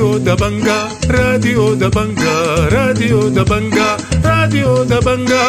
راديو دبنجا، راديو دبنجا، راديو دبنجا، راديو دبنجا.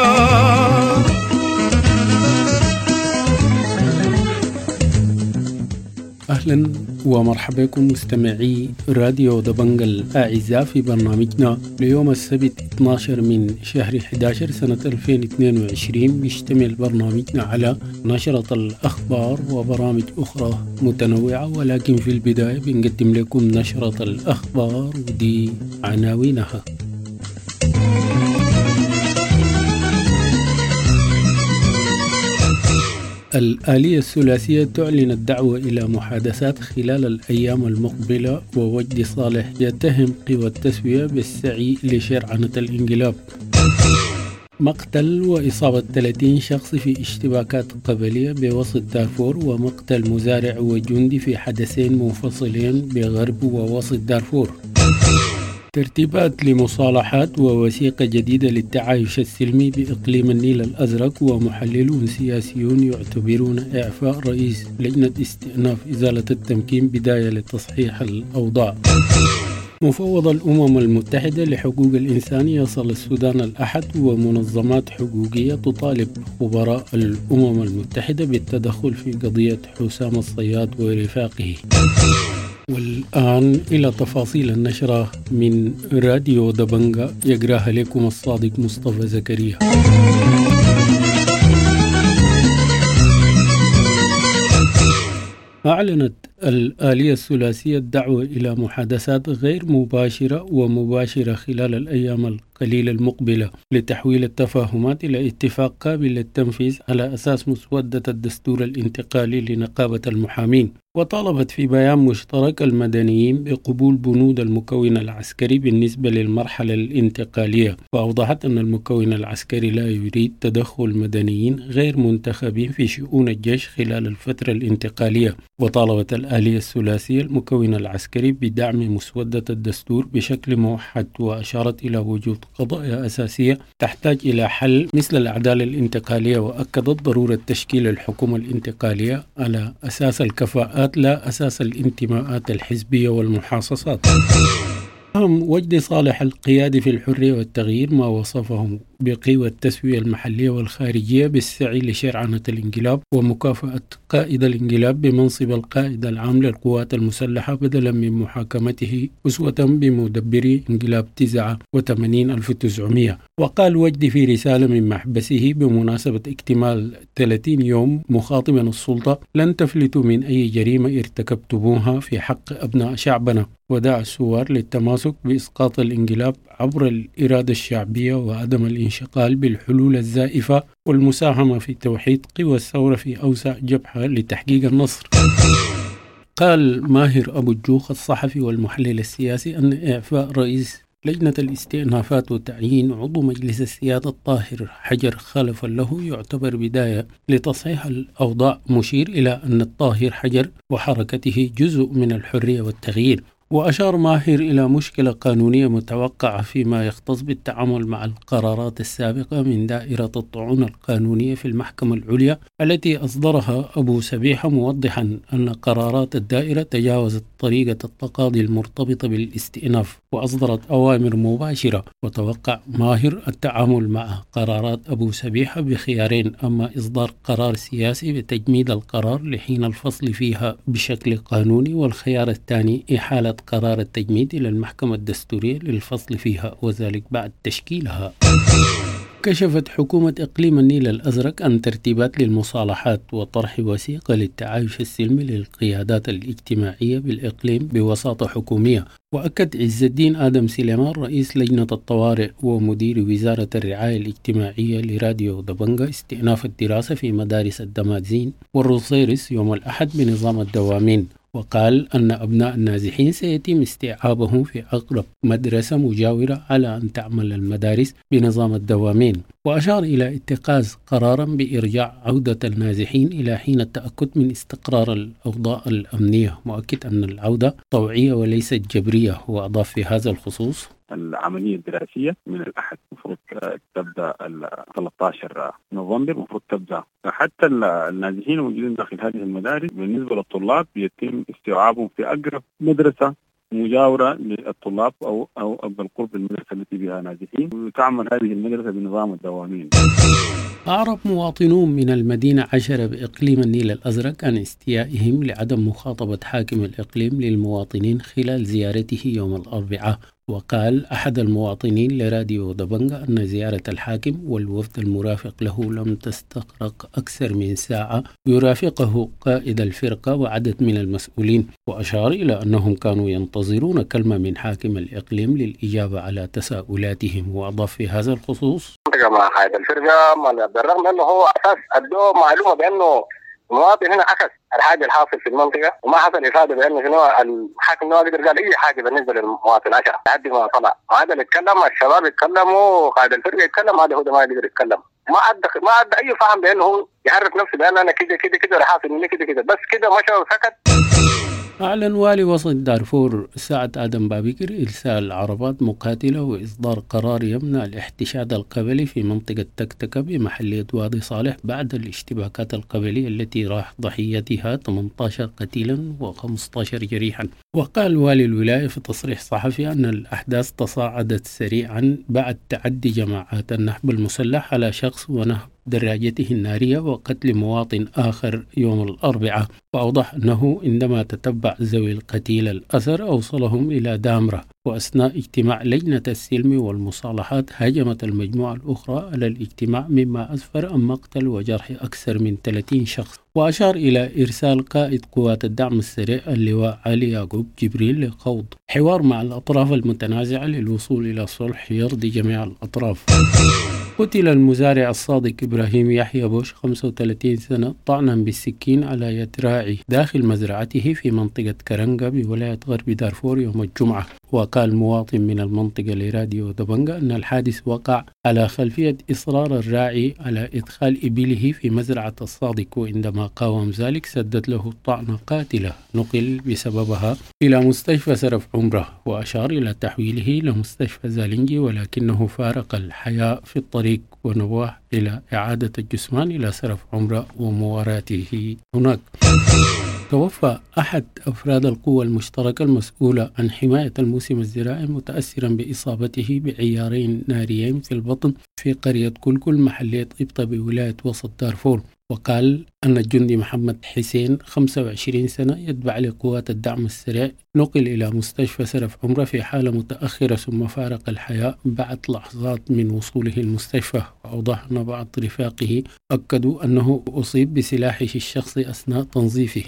أهلا ومرحبا بكم مستمعي راديو دبنجا الأعزاء في برنامجنا ليوم السبت 12 من شهر 11 سنة 2022. بيشتمل برنامجنا على نشرة الأخبار وبرامج أخرى متنوعة، ولكن في البداية بنقدم لكم نشرة الأخبار ودي عناوينها. الآلية الثلاثية تعلن الدعوة إلى محادثات خلال الأيام المقبلة، ووجدي صالح يتهم قوى التسوية بالسعي لشرعنة الانقلاب. مقتل وإصابة 30 شخص في اشتباكات قبلية بوسط دارفور، ومقتل مزارع وجندي في حدثين منفصلين بغرب ووسط دارفور. ترتيبات لمصالحات ووثيقة جديدة للتعايش السلمي بإقليم النيل الأزرق، ومحللون سياسيون يعتبرون إعفاء رئيس لجنة استئناف إزالة التمكين بداية لتصحيح الأوضاع. مفوض الأمم المتحدة لحقوق الإنسان يصل السودان الأحد، ومنظمات حقوقية تطالب خبراء الأمم المتحدة بالتدخل في قضية حسام الصياد ورفاقه. والآن إلى تفاصيل النشرة من راديو دبنجا، يقراها لكم الصادق مصطفى زكريا. أعلنت الآلية الثلاثية الدعوة إلى محادثات غير مباشرة ومباشرة خلال الأيام القليلة المقبلة لتحويل التفاهمات إلى اتفاق قابل للتنفيذ على أساس مسودة الدستور الانتقالي لنقابة المحامين. وطالبت في بيان مشترك المدنيين بقبول بنود المكون العسكري بالنسبة للمرحلة الانتقالية، وأوضحت أن المكون العسكري لا يريد تدخل مدنيين غير منتخبين في شؤون الجيش خلال الفترة الانتقالية. وطالبت الآلية الثلاثية المكون العسكري بدعم مسودة الدستور بشكل موحد، وأشارت إلى وجود قضايا أساسية تحتاج إلى حل مثل العدالة الانتقالية، وأكدت ضرورة تشكيل الحكومة الانتقالية على أساس الكفاءات لا أساس الانتماءات الحزبية والمحاصصات. وجدي صالح القيادي في الحرية والتغيير ما وصفه بقوى التسوية المحلية والخارجية بالسعي لشرعنة الانقلاب ومكافأة قائد الانقلاب بمنصب القائد العام للقوات المسلحة بدلا من محاكمته أسوة بمدبري انقلاب 89 1900. وقال وجدي في رسالة من محبسه بمناسبة اكتمال 30 يوم مخاطبا السلطة: لن تفلتوا من أي جريمة ارتكبتموها في حق أبناء شعبنا. ودعا الثوار للتماسك بإسقاط الانقلاب عبر الإرادة الشعبية وعدم الانشغال بالحلول الزائفة والمساهمة في توحيد قوى الثورة في أوسع جبهة لتحقيق النصر. قال ماهر أبو الجوخ الصحفي والمحلل السياسي أن إعفاء رئيس لجنة الاستئنافات وتعيين عضو مجلس السيادة الطاهر حجر خلفا له يعتبر بداية لتصحيح الأوضاع، مشير إلى أن الطاهر حجر وحركته جزء من الحرية والتغيير. وأشار ماهر إلى مشكلة قانونية متوقعة فيما يختص بالتعامل مع القرارات السابقة من دائرة الطعون القانونية في المحكمة العليا التي أصدرها أبو سبيحة، موضحا أن قرارات الدائرة تجاوزت طريقة التقاضي المرتبطة بالاستئناف وأصدرت أوامر مباشرة. وتوقع ماهر التعامل مع قرارات أبو سبيحة بخيارين: أما إصدار قرار سياسي بتجميد القرار لحين الفصل فيها بشكل قانوني، والخيار الثاني إحالة قرار التجميد إلى المحكمة الدستورية للفصل فيها، وذلك بعد تشكيلها. كشفت حكومة إقليم النيل الأزرق عن ترتيبات للمصالحات وطرح وثيقة للتعايش السلمي للقيادات الاجتماعية بالإقليم بوساطة حكومية. وأكد عز الدين آدم سليمان رئيس لجنة الطوارئ ومدير وزارة الرعاية الاجتماعية لراديو دبنجا استئناف الدراسة في مدارس الدمازين والروصيرس يوم الأحد بنظام الدوامين. وقال أن أبناء النازحين سيتم استيعابهم في أقرب مدرسة مجاورة على أن تعمل المدارس بنظام الدوامين. وأشار إلى اتخاذ قرارا بإرجاع عودة النازحين إلى حين التأكد من استقرار الأوضاع الأمنية، مؤكد أن العودة طوعية وليست جبرية. وأضاف في هذا الخصوص: العملية الدراسية من الأحد المفروض تبدأ 13 نوفمبر، المفروض تبدأ. حتى النازحين الموجودين داخل هذه المدارس بالنسبة للطلاب يتم استيعابهم في أقرب مدرسة مجاوره للطلاب او بالقرب من المدرسة التي بها نازحين، وتعمل هذه المدرسة بنظام الدوامين. أعرب مواطنون من المدينة 10 بإقليم النيل الأزرق عن استيائهم لعدم مخاطبة حاكم الإقليم للمواطنين خلال زيارته يوم الأربعاء. وقال أحد المواطنين لراديو دبنجا أن زيارة الحاكم والوفد المرافق له لم تستغرق أكثر من ساعة، يرافقه قائد الفرقة وعدد من المسؤولين. وأشار إلى أنهم كانوا ينتظرون كلمة من حاكم الإقليم للإجابة على تساؤلاتهم. وأضاف في هذا الخصوص: مع قائد الفرقة، بالرغم أنه هو أساس أدوه معلومة بأنه المواطن هنا عكس الحاجة الحاصل في المنطقة، وما حصل افاده بانه شنو الحاكم ما قدر قال اي حاجة بالنسبة للمواطن 10 لحد ما طلع. هذا اللي اتكلم، الشباب يتكلموا، قائد الفرقة يتكلم، هذا هو ده ما قدر يتكلم، ما ادى اي فهم بانه هو يعرف نفسه بان انا كده كده كده حاصل مني كده كده، بس كده مشى وسكت. أعلن والي وسط دارفور سعد آدم بابكر إرسال عربات مقاتلة وإصدار قرار يمنع الاحتشاد القبلي في منطقة تكتكة بمحلية وادي صالح بعد الاشتباكات القبلية التي راح ضحيتها 18 قتيلا و15 جريحا. وقال والي الولاية في تصريح صحفي أن الأحداث تصاعدت سريعا بعد تعدي جماعات النهب المسلح على شخص ونهب دراجته النارية وقتل مواطن آخر يوم الأربعاء. وأوضح أنه عندما تتبع ذوي القتيل الأثر أوصلهم إلى دامرة، وأثناء اجتماع لجنة السلم والمصالحات هاجمت المجموعة الأخرى على الاجتماع، مما أسفر عن مقتل وجرح أكثر من 30 شخص. وأشار إلى إرسال قائد قوات الدعم السريع اللواء علي يعقوب جبريل لخوض حوار مع الأطراف المتنازعة للوصول إلى صلح يرضي جميع الأطراف. قتل المزارع الصادق إبراهيم يحيى بوش 35 سنة طعنا بالسكين على يد راعي داخل مزرعته في منطقة كرنجة بولاية غرب دارفور يوم الجمعة. وقال مواطن من المنطقة لراديو دبنجا أن الحادث وقع على خلفية إصرار الراعي على إدخال إبله في مزرعة الصادق، وعندما قاوم ذلك سدت له طعنة قاتلة نقل بسببها إلى مستشفى سرف عمره. وأشار إلى تحويله إلى مستشفى زالنجي، ولكنه فارق الحياة في الطريق ونواه إلى إعادة الجثمان إلى سرف عمره ومواراته هناك. توفى أحد أفراد القوى المشتركة المسؤولة عن حماية الموسم الزراعي متأثرا بإصابته بعيارين ناريين في البطن في قرية كلكل محلية إبطة بولاية وسط دارفور. وقال أن الجندي محمد حسين 25 سنة يتبع لقوات الدعم السريع نقل إلى مستشفى سرف عمرة في حالة متأخرة ثم فارق الحياة بعد لحظات من وصوله المستشفى. وأوضح أن بعض رفاقه أكدوا أنه أصيب بسلاحه الشخصي أثناء تنظيفه.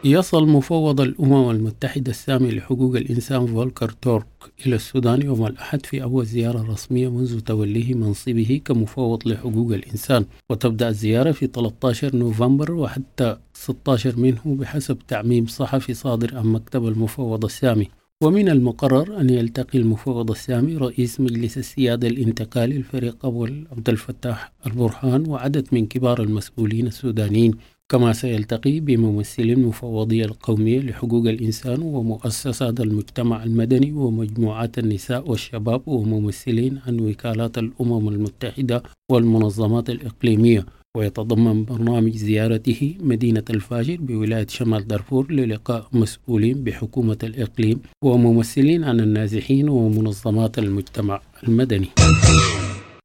يصل مفوض الأمم المتحدة السامي لحقوق الإنسان فولكر تورك إلى السودان يوم الأحد في أول زيارة رسمية منذ توليه منصبه كمفوض لحقوق الإنسان، وتبدأ الزيارة في 13 نوفمبر وحتى 16 منه بحسب تعميم صحفي صادر عن مكتب المفوض السامي. ومن المقرر أن يلتقي المفوض السامي رئيس مجلس السيادة الانتقالي الفريق أول عبد الفتاح البرهان وعدد من كبار المسؤولين السودانيين، كما سيلتقي بممثلي المفوضية القومية لحقوق الإنسان ومؤسسات المجتمع المدني ومجموعات النساء والشباب وممثلين عن وكالات الأمم المتحدة والمنظمات الإقليمية. ويتضمن برنامج زيارته مدينة الفاجر بولاية شمال دارفور للقاء مسؤولين بحكومة الإقليم وممثلين عن النازحين ومنظمات المجتمع المدني.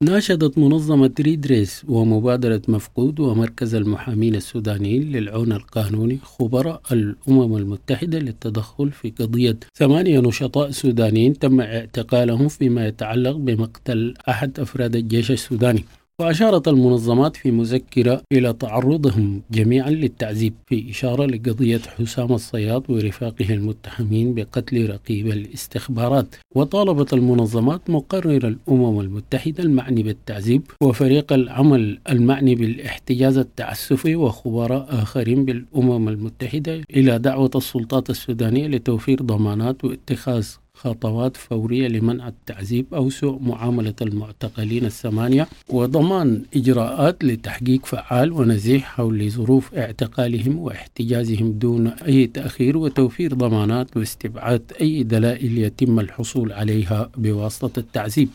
ناشدت منظمة ريدريس ومبادرة مفقود ومركز المحامين السودانيين للعون القانوني خبراء الأمم المتحدة للتدخل في قضية 8 نشطاء سودانيين تم اعتقالهم فيما يتعلق بمقتل أحد أفراد الجيش السوداني. وأشارت المنظمات في مذكرة إلى تعرضهم جميعا للتعذيب، في إشارة لقضية حسام الصياد ورفاقه المتهمين بقتل رقيب الاستخبارات. وطالبت المنظمات مقرر الأمم المتحدة المعني بالتعذيب وفريق العمل المعني بالاحتجاز التعسفي وخبراء آخرين بالأمم المتحدة إلى دعوة السلطات السودانية لتوفير ضمانات واتخاذ خطوات فورية لمنع التعذيب أو سوء معاملة المعتقلين 8 وضمان إجراءات لتحقيق فعال ونزيه حول ظروف اعتقالهم واحتجازهم دون أي تأخير، وتوفير ضمانات واستبعاد أي دلائل يتم الحصول عليها بواسطة التعذيب.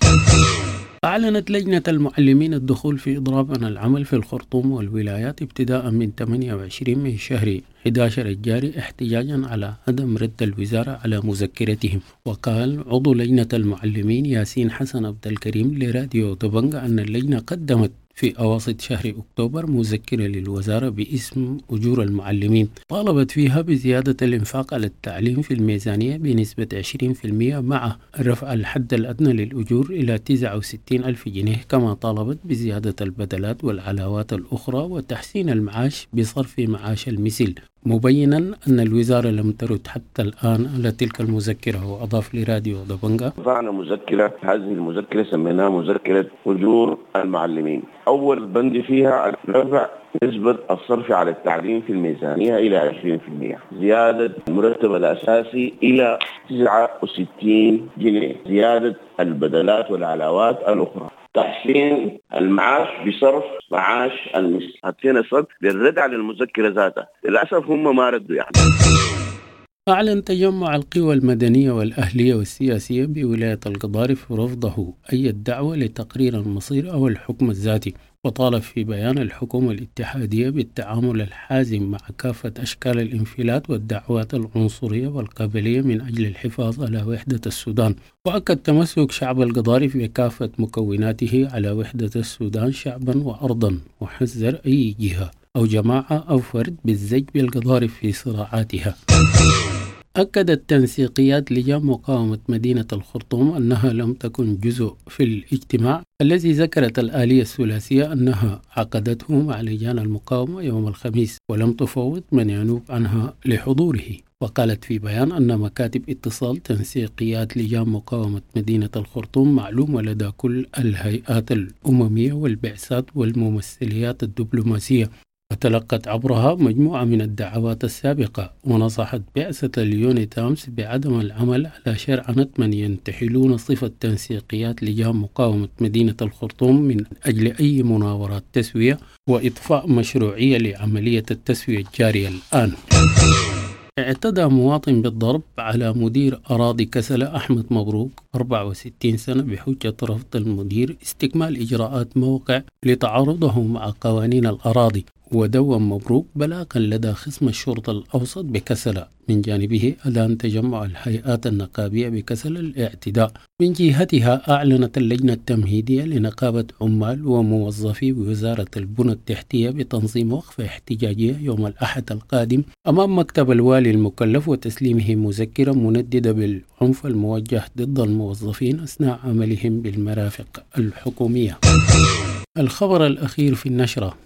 أعلنت لجنة المعلمين الدخول في إضراب عن العمل في الخرطوم والولايات ابتداء من 28 من شهر 11 الجاري احتجاجا على عدم رد الوزارة على مذكرتهم. وقال عضو لجنة المعلمين ياسين حسن عبد الكريم لراديو دبنجا أن اللجنة قدمت في أواسط شهر أكتوبر مذكرة للوزارة باسم أجور المعلمين طالبت فيها بزيادة الإنفاق على التعليم في الميزانية بنسبة 20% مع رفع الحد الأدنى للأجور إلى 69 ألف جنيه، كما طالبت بزيادة البدلات والعلاوات الأخرى وتحسين المعاش بصرف معاش المثل، مبينا أن الوزارة لم ترد حتى الآن على تلك المذكرة. وأضاف لراديو دبنجا: رفعنا مذكرة، هذه المذكرة سميناها مذكرة أجور المعلمين. أول بند فيها رفع نسبة الصرف على التعليم في الميزانية إلى 20%، زيادة المرتب الأساسي إلى 69 جنيه، زيادة البدلات والعلاوات الأخرى، تحسين المعاش بصرف معاش المثل. حطينا صد للرد على المذكرة ذاتها، للأسف هم ما ردوا يعني. أعلن تجمع القوى المدنية والأهلية والسياسية بولاية القضارف رفضه أي دعوة لتقرير المصير أو الحكم الذاتي، وطالب في بيان الحكومة الاتحادية بالتعامل الحازم مع كافة أشكال الانفلات والدعوات العنصرية والقبلية من أجل الحفاظ على وحدة السودان. وأكد تمسك شعب القضارف بكافة مكوناته على وحدة السودان شعبا وأرضا، وحذر أي جهة أو جماعة أو فرد بالزج بالقضارف في صراعاتها. أكدت تنسيقيات لجان مقاومة مدينة الخرطوم أنها لم تكن جزء في الاجتماع الذي ذكرت الآلية الثلاثية أنها عقدته مع لجان المقاومة يوم الخميس، ولم تفوض من ينوب عنها لحضوره. وقالت في بيان أن مكاتب اتصال تنسيقيات لجان مقاومة مدينة الخرطوم معلومة لدى كل الهيئات الأممية والبعثات والممثليات الدبلوماسية، وتلقت عبرها مجموعة من الدعوات السابقة. ونصحت بعثة اليونيتامس بعدم العمل على شرعنة من ينتحلون صفة تنسيقيات لجان مقاومة مدينة الخرطوم من أجل أي مناورات تسوية وإطفاء مشروعية لعملية التسوية الجارية الآن. اعتدى مواطن بالضرب على مدير أراضي كسلة أحمد مبروك 64 سنة بحجة رفض المدير استكمال إجراءات موقع لتعارضه مع قوانين الأراضي. ودون مبروك بلاغا لدى خصم الشرطة الأوسط بكسلة. من جانبه أدان تجمع الهيئات النقابية بكسلة الاعتداء. من جهتها أعلنت اللجنة التمهيدية لنقابة عمال وموظفي وزارة البنى التحتية بتنظيم وقفة احتجاجية يوم الأحد القادم أمام مكتب الوالي المكلف وتسليمه مذكرة منددة بالعنف الموجه ضد الموظفين أثناء عملهم بالمرافق الحكومية. الخبر الأخير في النشرة: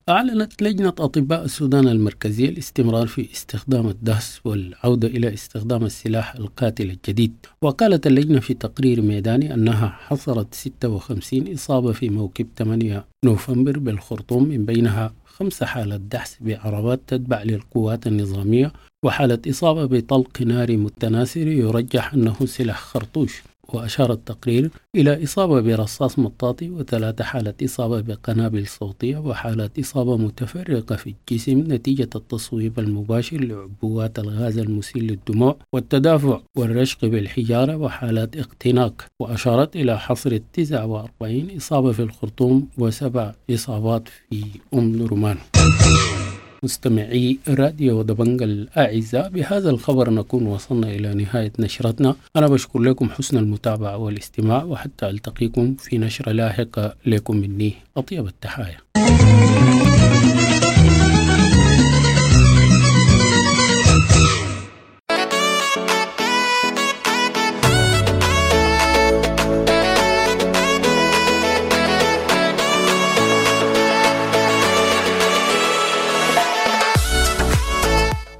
أعلنت لجنة أطباء السودان المركزية الاستمرار في استخدام الدهس والعودة إلى استخدام السلاح القاتل الجديد. وقالت اللجنة في تقرير ميداني أنها حصرت 56 إصابة في موكب 8 نوفمبر بالخرطوم، من بينها 5 حالات دحس بعربات تتبع للقوات النظامية، وحالة إصابة بطلق ناري متناثر يرجح أنه سلاح خرطوش. وأشار التقرير إلى إصابة برصاص مطاطي و3 حالات إصابة بقنابل صوتية وحالات إصابة متفرقة في الجسم نتيجة التصويب المباشر لعبوات الغاز المسيل للدموع والتدافع والرشق بالحجارة وحالات اختناق. وأشارت إلى حصر 49 إصابة في الخرطوم و7 إصابات في أم درمان. مستمعي راديو دبنجا الأعزاء، بهذا الخبر نكون وصلنا إلى نهاية نشرتنا. أنا بشكر لكم حسن المتابعة والاستماع، وحتى ألتقيكم في نشرة لاحقة. لكم مني أطيب التحايا.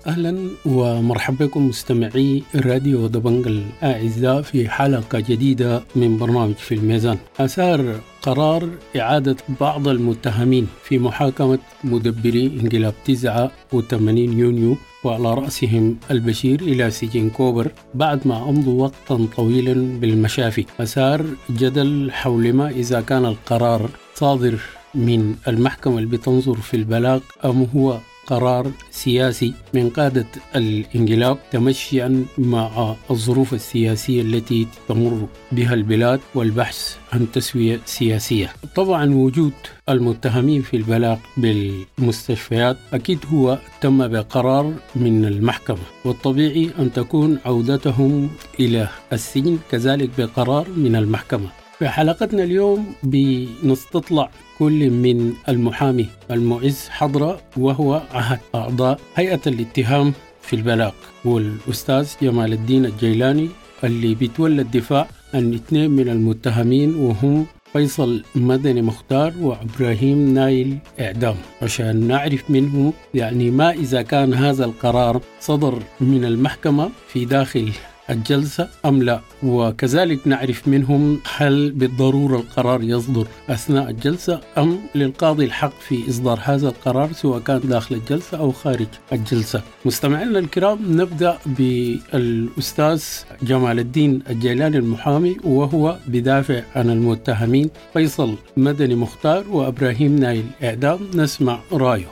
أهلا ومرحبا بكم مستمعي راديو دبنجا الأعزاء في حلقة جديدة من برنامج في الميزان. أثار قرار إعادة بعض المتهمين في محاكمة مدبري انقلاب 89 يونيو وعلى رأسهم البشير إلى سجن كوبر بعد ما أمضوا وقتا طويلا بالمشافي، أثار جدل حول ما إذا كان القرار صادر من المحكمة اللي بتنظر في البلاغ أم هو قرار سياسي من قادة الانقلاب تمشيا مع الظروف السياسية التي تمر بها البلاد والبحث عن تسوية سياسية. طبعا وجود المتهمين في البلاغ بالمستشفيات أكيد هو تم بقرار من المحكمة، والطبيعي أن تكون عودتهم إلى السجن كذلك بقرار من المحكمة. في حلقتنا اليوم بنستطلع كل من المحامي المعز حضرة وهو أحد أعضاء هيئة الاتهام في البلاغ، والأستاذ جمال الدين الجيلاني اللي بيتولى الدفاع عن 2 من المتهمين وهم فيصل مدني مختار وإبراهيم نايل إعدام، عشان نعرف منه يعني ما إذا كان هذا القرار صدر من المحكمة في داخل الجلسة أم لا، وكذلك نعرف منهم هل بالضرورة القرار يصدر أثناء الجلسة أم للقاضي الحق في إصدار هذا القرار سواء كان داخل الجلسة أو خارج الجلسة. مستمعينا الكرام، نبدأ بالأستاذ جمال الدين الجيلاني المحامي وهو بدافع عن المتهمين فيصل مدني مختار وإبراهيم نايل إعدام، نسمع رأيه.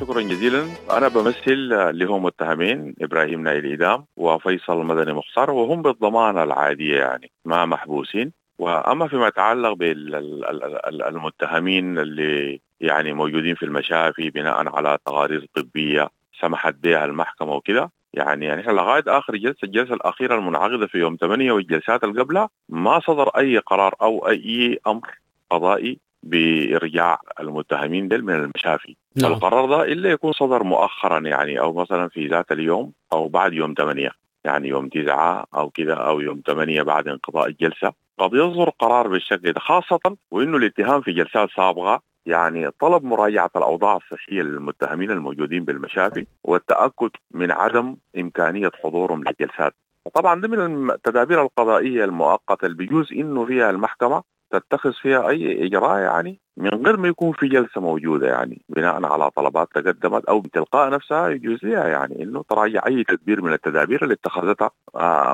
شكرا جزيلا. أنا بمثل اللي هم متهمين إبراهيم نايل إعدام وفيصل مدني مختار، وهم بالضمانة العادية يعني ما محبوسين. وأما فيما يتعلق بالمتهمين اللي يعني موجودين في المشافي بناء على تقارير طبية سمحت بها المحكمة وكده، يعني احنا لغاية آخر جلسة، الجلسة الأخيرة المنعقدة في يوم 8 والجلسات اللي قبلها ما صدر أي قرار أو أي أمر قضائي بإرجاع المتهمين دل من المشافي. نعم. القرار ده إلا يكون صدر مؤخرا يعني، أو مثلا في ذات اليوم أو بعد يوم 8، يعني يوم 9 أو كده، أو يوم 8 بعد انقضاء الجلسة قد يصدر قرار بالشكل ده، خاصة وإنه الاتهام في جلسات سابقة يعني طلب مراجعة الأوضاع الصحية للمتهمين الموجودين بالمشافي والتأكد من عدم إمكانية حضورهم للجلسات. وطبعا ده من التدابير القضائية المؤقتة اللي بيجوز إنه فيها المحكمة تتخذ فيها أي إجراء يعني من غير ما يكون في جلسة موجودة، يعني بناء على طلبات تقدمت أو بتلقاء نفسها يجوز لها يعني إنه تراجع أي تدبير من التدابير اللي اتخذتها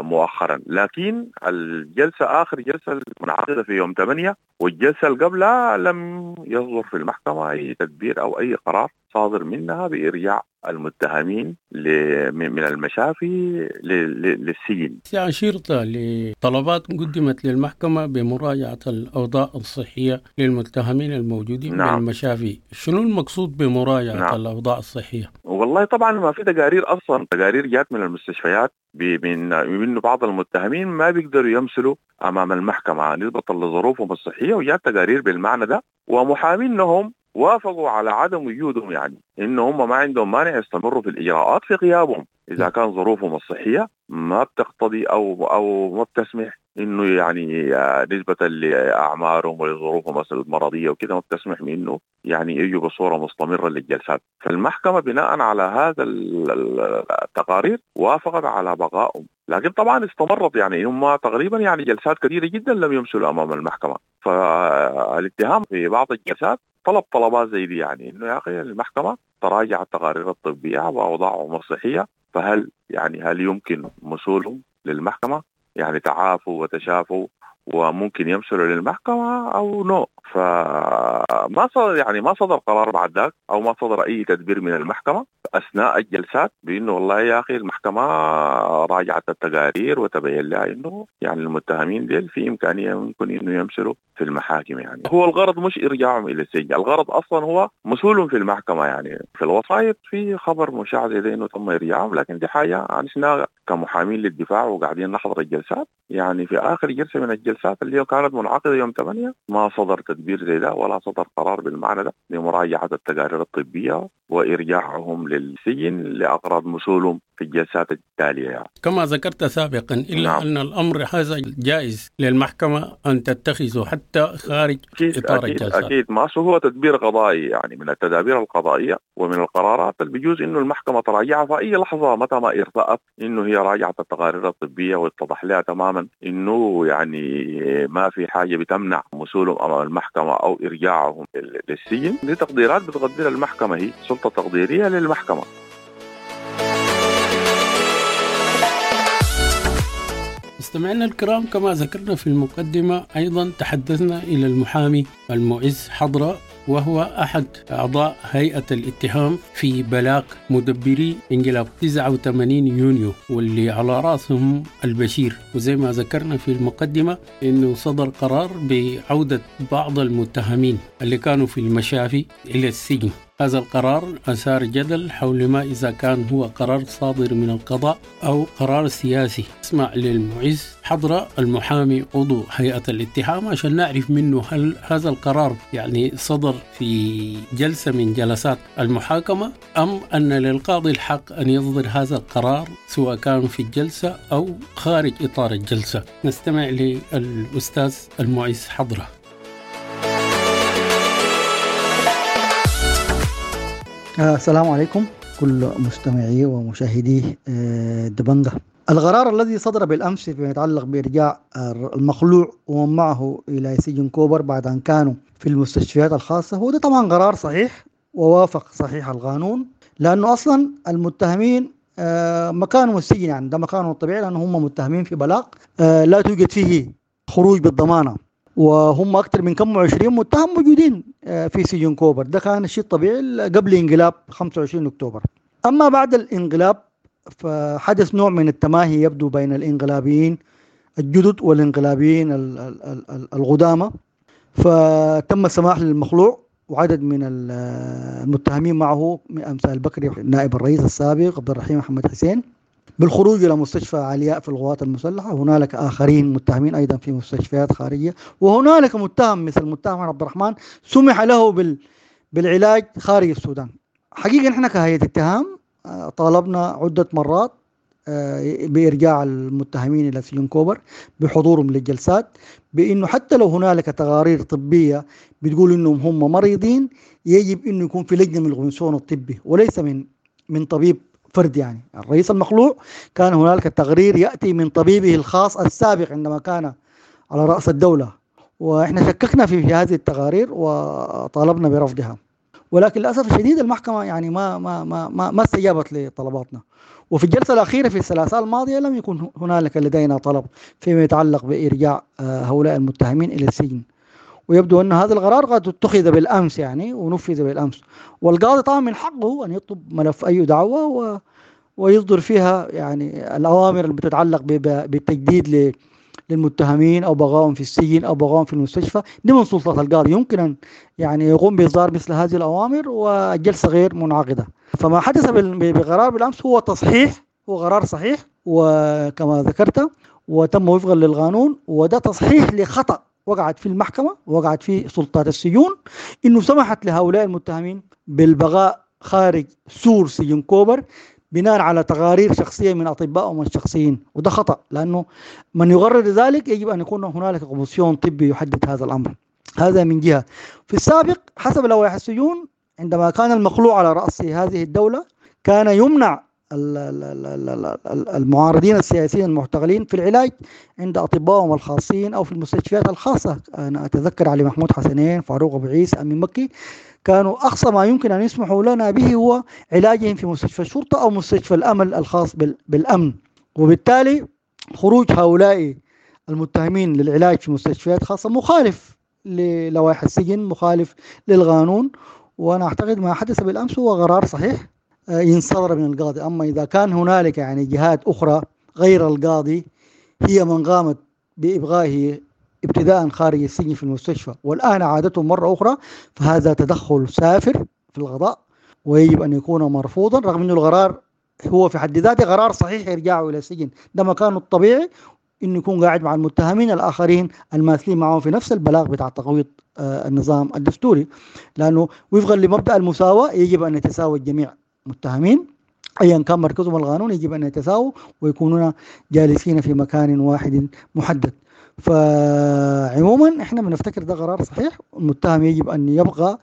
مؤخرا. لكن الجلسة آخر جلسة المنعقدة في يوم 8 والجلسة اللي قبلها لم يصدر في المحكمة أي تدبير أو أي قرار صادر منها بإرجاع المتهمين من المشافي للسجن. أشرت لطلبات قدمت للمحكمة بمراجعة الأوضاع الصحية للمتهمين الموجودين. نعم. بالمشافي، شنو المقصود بمراجعة؟ نعم. الأوضاع الصحية؟ والله طبعا ما في تقارير أصلا، تقارير جات من المستشفيات من بعض المتهمين ما بيقدروا يمثلوا أمام المحكمة نسبة لظروفهم الصحية، وجات تقارير بالمعنى ده، ومحامينهم وافقوا على عدم وجودهم، يعني إنه هم ما عندهم مانع يستمروا في الإجراءات في غيابهم إذا كان ظروفهم الصحية ما بتقتضي أو ما بتسمح إنه يعني نسبة لأعمارهم ولظروفهم المرضية وكده ما بتسمح إنه يعني يجوا بصورة مستمرة للجلسات. فالمحكمة بناء على هذا التقارير وافقت على بقائهم، لكن طبعا استمرت يعني هم تقريبا يعني جلسات كثيرة جدا لم يمثلوا أمام المحكمة. فالاتهام في بعض الجلسات طلب طلبات زي دي، يعني إنه يا أخي المحكمة تراجع التقارير الطبية وأوضاعهم الصحية، فهل يعني هل يمكن مثولهم للمحكمة؟ يعني تعافوا وتشافوا وممكن يمثلوا للمحكمة أو نو. فما صدر يعني ما صدر قرار بعد ذاك أو ما صدر أي تدبير من المحكمة أثناء الجلسات بأنه والله يا أخي المحكمة راجعت التقارير وتبين لها إنه يعني المتهمين ديل في إمكانية ممكن إنه يمثلوا في المحاكم. يعني هو الغرض مش إرجاعهم إلى السجن، الغرض أصلا هو مثولهم في المحكمة. يعني في الوسائط في خبر مشاع زي إنه تم إرجاعهم، لكن دي حاجة نحن كمحامين للدفاع وقاعدين نحضر الجلسات، يعني في آخر جلسة من الجلسات اللي كانت منعقدة يوم 8 ما صدر تدبير زي ده ولا صدر قرار بالمعنى ده لمراجعة التقارير الطبية وإرجاعهم للسجن لأغراض مثولهم في الجلسات التالية. يعني كما ذكرت سابقا إلا نعم. أن الأمر هذا جائز للمحكمة أن تتخذه حتى خارج إطار الجلسات. أكيد ما هو تدبير قضائي، يعني من التدابير القضائية ومن القرارات اللي بيجوز إنه المحكمة تراجعها في أي لحظة متى ما ارتأت إنه هي راجعت التقارير الطبية واتضح لها تماما إنه يعني ما في حاجة بتمنع مثولهم أمام المحكمة أو إرجاعهم للسجن. دي تقديرات بتقدر المحكمة، هي سلطة تقديرية للمحكمة. مستمعينا الكرام، كما ذكرنا في المقدمة أيضا تحدثنا إلى المحامي المعز حضرة، وهو أحد أعضاء هيئة الاتهام في بلاغ مدبري انقلاب 89 يونيو واللي على رأسهم البشير. وزي ما ذكرنا في المقدمة أنه صدر قرار بعودة بعض المتهمين اللي كانوا في المشافي إلى السجن. هذا القرار أثار جدل حول ما إذا كان هو قرار صادر من القضاء أو قرار سياسي. اسمع للمعز حضرة المحامي عضو هيئة الاتهام عشان نعرف منه هل هذا القرار يعني صدر في جلسة من جلسات المحاكمة أم أن للقاضي الحق أن يصدر هذا القرار سواء كان في الجلسة أو خارج إطار الجلسة. نستمع للأستاذ المعز حضرة. السلام عليكم كل مستمعي ومشاهدي دبنجة. القرار الذي صدر بالأمس فيما يتعلق بإرجاع المخلوع ومن معه إلى سجن كوبر بعد أن كانوا في المستشفيات الخاصة هو ده طبعا قرار صحيح ووافق صحيح القانون، لأنه أصلا المتهمين مكانهم السجن، يعني ده مكانهم الطبيعي، لأنه هم متهمين في بلاغ لا توجد فيه خروج بالضمانة، وهم أكثر من كم 20 متهم موجودين في سجن كوبر. ده كان الشيء الطبيعي قبل انقلاب 25 أكتوبر. أما بعد الانقلاب فحدث نوع من التماهي يبدو بين الانقلابيين الجدد والانقلابيين القدامى، فتم السماح للمخلوع وعدد من المتهمين معه من أمثال بكري نائب الرئيس السابق عبد الرحيم محمد حسين بالخروج إلى مستشفى علياء في القوات المسلحة. هنالك آخرين متهمين أيضا في مستشفيات خارجية، وهنالك متهم مثل المتهم عبد الرحمن سمح له بالعلاج خارج السودان. حقيقة نحن كهيئة اتهام طالبنا عدة مرات بإرجاع المتهمين إلى سجن كوبر بحضورهم للجلسات، بأنه حتى لو هنالك تقارير طبية بتقول إنهم هم مريضين يجب إنه يكون في لجنة من القنصون الطبي وليس من طبيب فرد. يعني الرئيس المخلوع كان هنالك تقرير يأتي من طبيبه الخاص السابق عندما كان على رأس الدولة، وإحنا شككنا في هذه التقارير وطالبنا برفضها، ولكن للأسف الشديد المحكمة يعني ما ما ما ما, ما استجابت لطلباتنا. وفي الجلسة الأخيرة في الثلاثاء الماضية لم يكن هنالك لدينا طلب فيما يتعلق بإرجاع هؤلاء المتهمين إلى السجن، ويبدو أن هذا القرار قد اتخذ بالأمس يعني ونفذ بالأمس. والقاضي طبعا من حقه أن يطلب ملف أي دعوة ويصدر فيها يعني الأوامر اللي بتتعلق بالتجديد للمتهمين أو بغاهم في السجن أو بغاهم في المستشفى. دي من سلطة القاضي، يمكن أن يعني يقوم بإصدار مثل هذه الأوامر والجلسة غير منعقدة. فما حدث بقرار بالأمس هو تصحيح، هو قرار صحيح وكما ذكرت وتم وفقا للقانون، وده تصحيح لخطأ وقعت في المحكمة وقعت في سلطات السجون، إنه سمحت لهؤلاء المتهمين بالبقاء خارج سور سجن كوبر بناء على تقارير شخصية من أطبائهم الشخصيين، وده خطأ، لأنه من يقرر ذلك يجب أن يكون هنالك قومسيون طبي يحدد هذا الأمر. هذا من جهة. في السابق حسب لوائح السجون عندما كان المخلوع على رأس هذه الدولة كان يمنع المعارضين السياسيين المعتقلين في العلاج عند أطبائهم الخاصين أو في المستشفيات الخاصة. أنا أتذكر علي محمود حسنين، فاروق أبو عيسى، أمين مكي، كانوا أقصى ما يمكن أن يسمحوا لنا به هو علاجهم في مستشفى الشرطة أو مستشفى الأمل الخاص بالأمن. وبالتالي خروج هؤلاء المتهمين للعلاج في مستشفيات خاصة مخالف للوائح السجن، مخالف للقانون، وأنا أعتقد ما حدث بالأمس هو قرار صحيح ينصدر من القاضي. أما إذا كان هنالك يعني جهات أخرى غير القاضي هي من قامت بإبغائه ابتداء خارج السجن في المستشفى والآن عادته مرة أخرى، فهذا تدخل سافر في القضاء ويجب أن يكون مرفوضا، رغم أن القرار هو في حد ذاته قرار صحيح إرجاعه إلى السجن، ده مكانه الطبيعي إنه يكون قاعد مع المتهمين الآخرين الماثلين معهم في نفس البلاغ بتاع تقويض النظام الدستوري، لأنه وفقا لمبدأ المساواة يجب أن يتساوى الجميع متهمين أيا كان مركزهم القانون، يجب أن يتساووا ويكونون جالسين في مكان واحد محدد. فعموما احنا بنفتكر ده قرار صحيح، المتهم يجب أن يبقى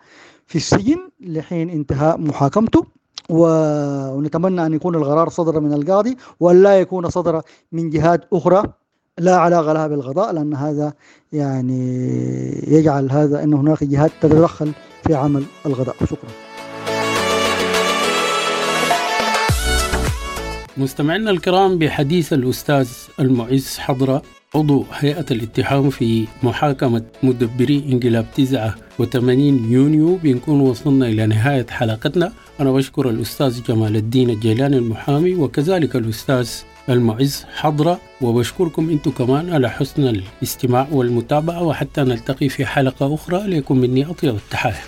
في السجن لحين انتهاء محاكمته، ونتمنى أن يكون القرار صدر من القاضي ولا يكون صدر من جهات أخرى لا علاقة لها بالقضاء، لأن هذا يعني يجعل هذا أن هناك جهات تتدخل في عمل القضاء. شكرا. مستمعينا الكرام، بحديث الأستاذ المعز حضرة عضو هيئة الاتهام في محاكمة مدبري انقلاب 89 يونيو بنكون وصلنا إلى نهاية حلقتنا. أنا بشكر الأستاذ جمال الدين الجيلاني المحامي وكذلك الأستاذ المعز حضرة، وبشكركم أنتم كمان على حسن الاستماع والمتابعة، وحتى نلتقي في حلقة أخرى لكم مني أطيب التحايا.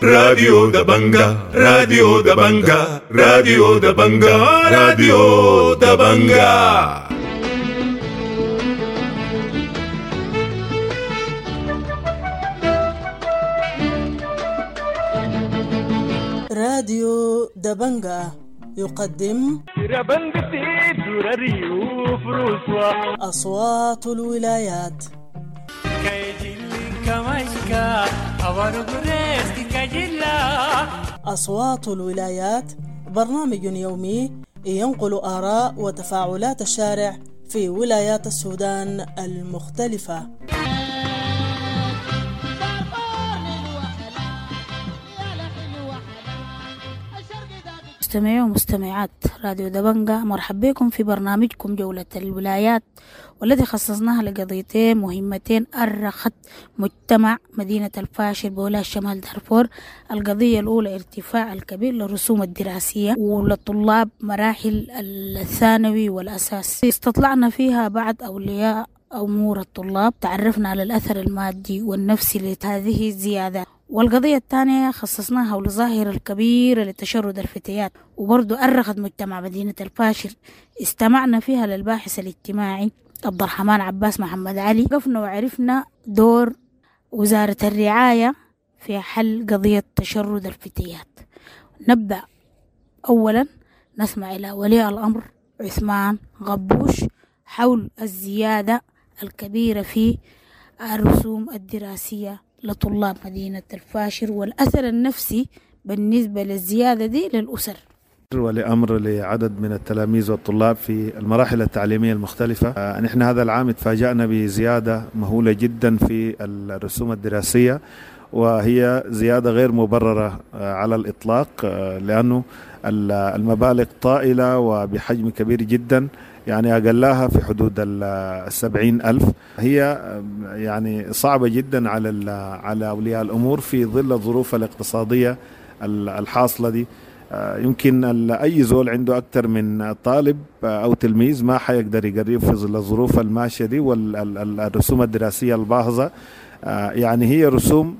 راديو دبنجا، راديو دبنجا، راديو دبنجا، راديو دبنجا. راديو دبنجا يقدم أصوات الولايات. أصوات الولايات برنامج يومي ينقل آراء وتفاعلات الشارع في ولايات السودان المختلفة. مستمعي ومستمعات راديو دبنجا، مرحبا بكم في برنامجكم جولة الولايات، والذي خصصناها لقضيتين مهمتين أرخت مجتمع مدينة الفاشر بولاية شمال دارفور. القضية الأولى ارتفاع الكبير للرسوم الدراسية وللطلاب مراحل الثانوي والأساس، استطلعنا فيها بعض أولياء أمور الطلاب، تعرفنا على الأثر المادي والنفسي لهذه الزيادة. والقضية الثانية خصصناها للظاهرة الكبيرة لتشرد الفتيات، وبرضو أرخت مجتمع مدينة الفاشر، استمعنا فيها للباحث الاجتماعي عبد الرحمن عباس محمد علي، وقفنا وعرفنا دور وزارة الرعاية في حل قضية تشرد الفتيات. نبدأ أولا نسمع إلى ولي الأمر عثمان غبوش حول الزيادة الكبيرة في الرسوم الدراسية لطلاب مدينة الفاشر والأثر النفسي بالنسبة للزيادة دي للأسر. ولأمر لعدد من التلاميذ والطلاب في المراحل التعليمية المختلفة. نحن هذا العام تفاجأنا بزيادة مهولة جدا في الرسوم الدراسية، وهي زيادة غير مبررة على الإطلاق، لأنه المبالغ طائلة وبحجم كبير جدا، يعني أقلها في حدود 70,000. هي يعني صعبة جدا على أولياء الأمور في ظل الظروف الاقتصادية الحاصلة دي. يمكن أي زول عنده أكثر من طالب أو تلميذ ما حيقدر يقرب في ظل الظروف الماشية دي والرسوم الدراسية الباهظة. يعني هي رسوم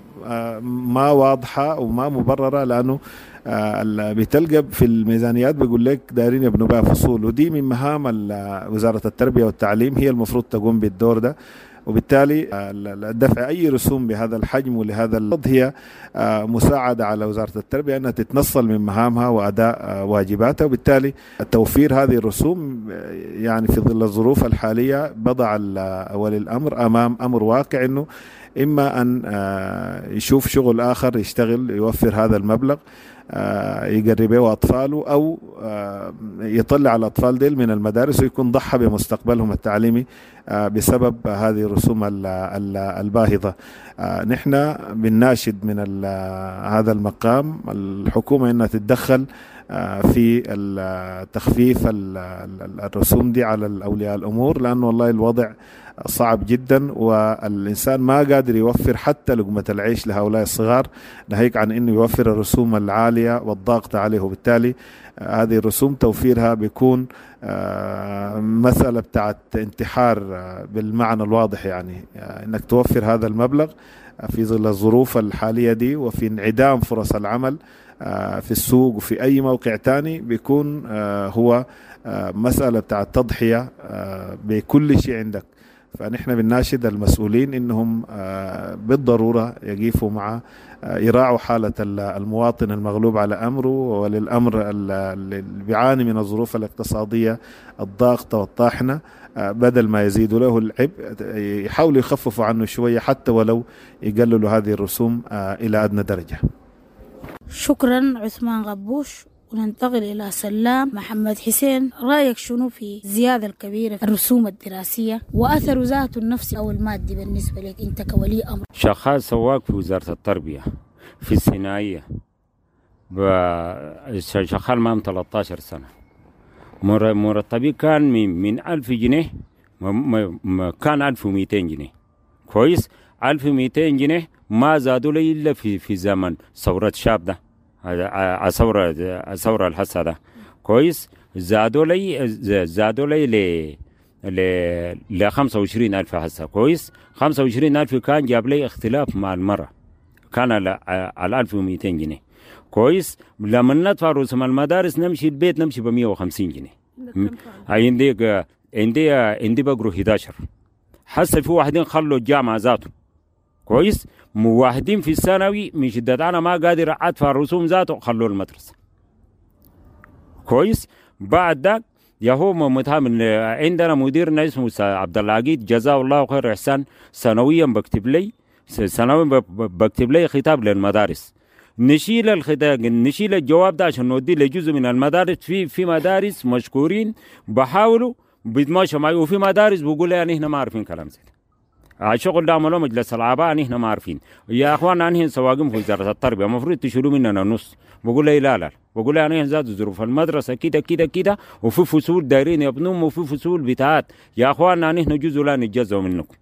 ما واضحة وما مبررة، لأنه بتلقى في الميزانيات بيقول لك دايرين يبنوا بها فصول، ودي من مهام وزارة التربية والتعليم، هي المفروض تقوم بالدور ده. وبالتالي دفع أي رسوم بهذا الحجم ولهذا الوضع هي مساعدة على وزارة التربية أنها تتنصل من مهامها وأداء واجباتها، وبالتالي توفير هذه الرسوم يعني في ظل الظروف الحالية بضع ولي الأمر أمام أمر واقع، أنه إما أن يشوف شغل آخر يشتغل يوفر هذا المبلغ يقربه أطفاله، أو يطلع الأطفال ديل من المدارس ويكون ضحى بمستقبلهم التعليمي بسبب هذه الرسوم الباهظة. نحن بنناشد من هذا المقام الحكومة أنها تتدخل في تخفيف الرسوم دي على الأولياء الأمور، لأنه والله الوضع صعب جدا والإنسان ما قادر يوفر حتى لقمة العيش لهؤلاء الصغار، ناهيك عن أنه يوفر الرسوم العالية والضاغطة عليه. وبالتالي هذه الرسوم توفيرها بيكون مسألة بتاعت انتحار بالمعنى الواضح، يعني أنك توفر هذا المبلغ في ظل الظروف الحالية دي وفي انعدام فرص العمل في السوق وفي أي موقع تاني، بيكون هو مسألة بتاعت تضحية بكل شيء عندك. فنحن بنناشد المسؤولين إنهم بالضرورة يقفوا مع يراعوا حالة المواطن المغلوب على أمره وللأمر اللي بيعاني من الظروف الاقتصادية الضاغطة والطاحنة، بدل ما يزيدوا له العبء يحاولوا يخففوا عنه شوية حتى ولو يقللوا هذه الرسوم إلى أدنى درجة. شكرا عثمان غبوش. وننتقل إلى سلام محمد حسين، رأيك شنو في الزيادة الكبيرة في الرسوم الدراسية وأثر ذاته النفسي أو المادي بالنسبة لك أنت كولي أمر؟ شغال سواق في وزارة التربية في الصناعية، شغال معهم 13 سنة. مرتبي كان من 1000 جنيه، كان 1200 جنيه. كويس، 1200 جنيه ما زادوا لي الا في زمن ثورة شاب ده، الثورة الحسه ده. كويس، زادوا لي ل 25000 هسه. كويس، 25000 كان جاب لي اختلاف مع المرة، كان على 1200 جنيه. كويس، لما ندفع رسوم المدارس نمشي البيت نمشي ب 150 جنيه. عندي بقروا 11 هسه، في واحدين خلوا الجامعة ذاته. كويس، واحدين في الثانوي من شدة انا ما قادر ادفع الرسوم ذاته خلوا المدرسة. كويس، بعد ذاك يا هو متهم. عندنا مديرنا اسمه عبد العقيد جزاه الله خير احسان، سنويا بكتب لي خطاب للمدارس. نشيل الخطاب، نشيل الجواب ده عشان نوديه لجزء من المدارس. في مدارس مشكورين بحاولوا بيتماشوا معي، وفي مدارس بيقول لي يعني احنا ما عارفين كلام زي ده. الشغل ده عملوه مجلس الآباء، نحن ما عارفين. يا اخوانا نحن سواقين في وزارة التربية، المفروض تشيلوا مننا نص. بقول لي لا لا، بقول لي نحن زاد ظروف المدرسة كده كده كده، وفي فصول دايرين يبنوهم وفي فصول بتاعات. يا اخوانا نحن جزء لا نتجزوا منكم.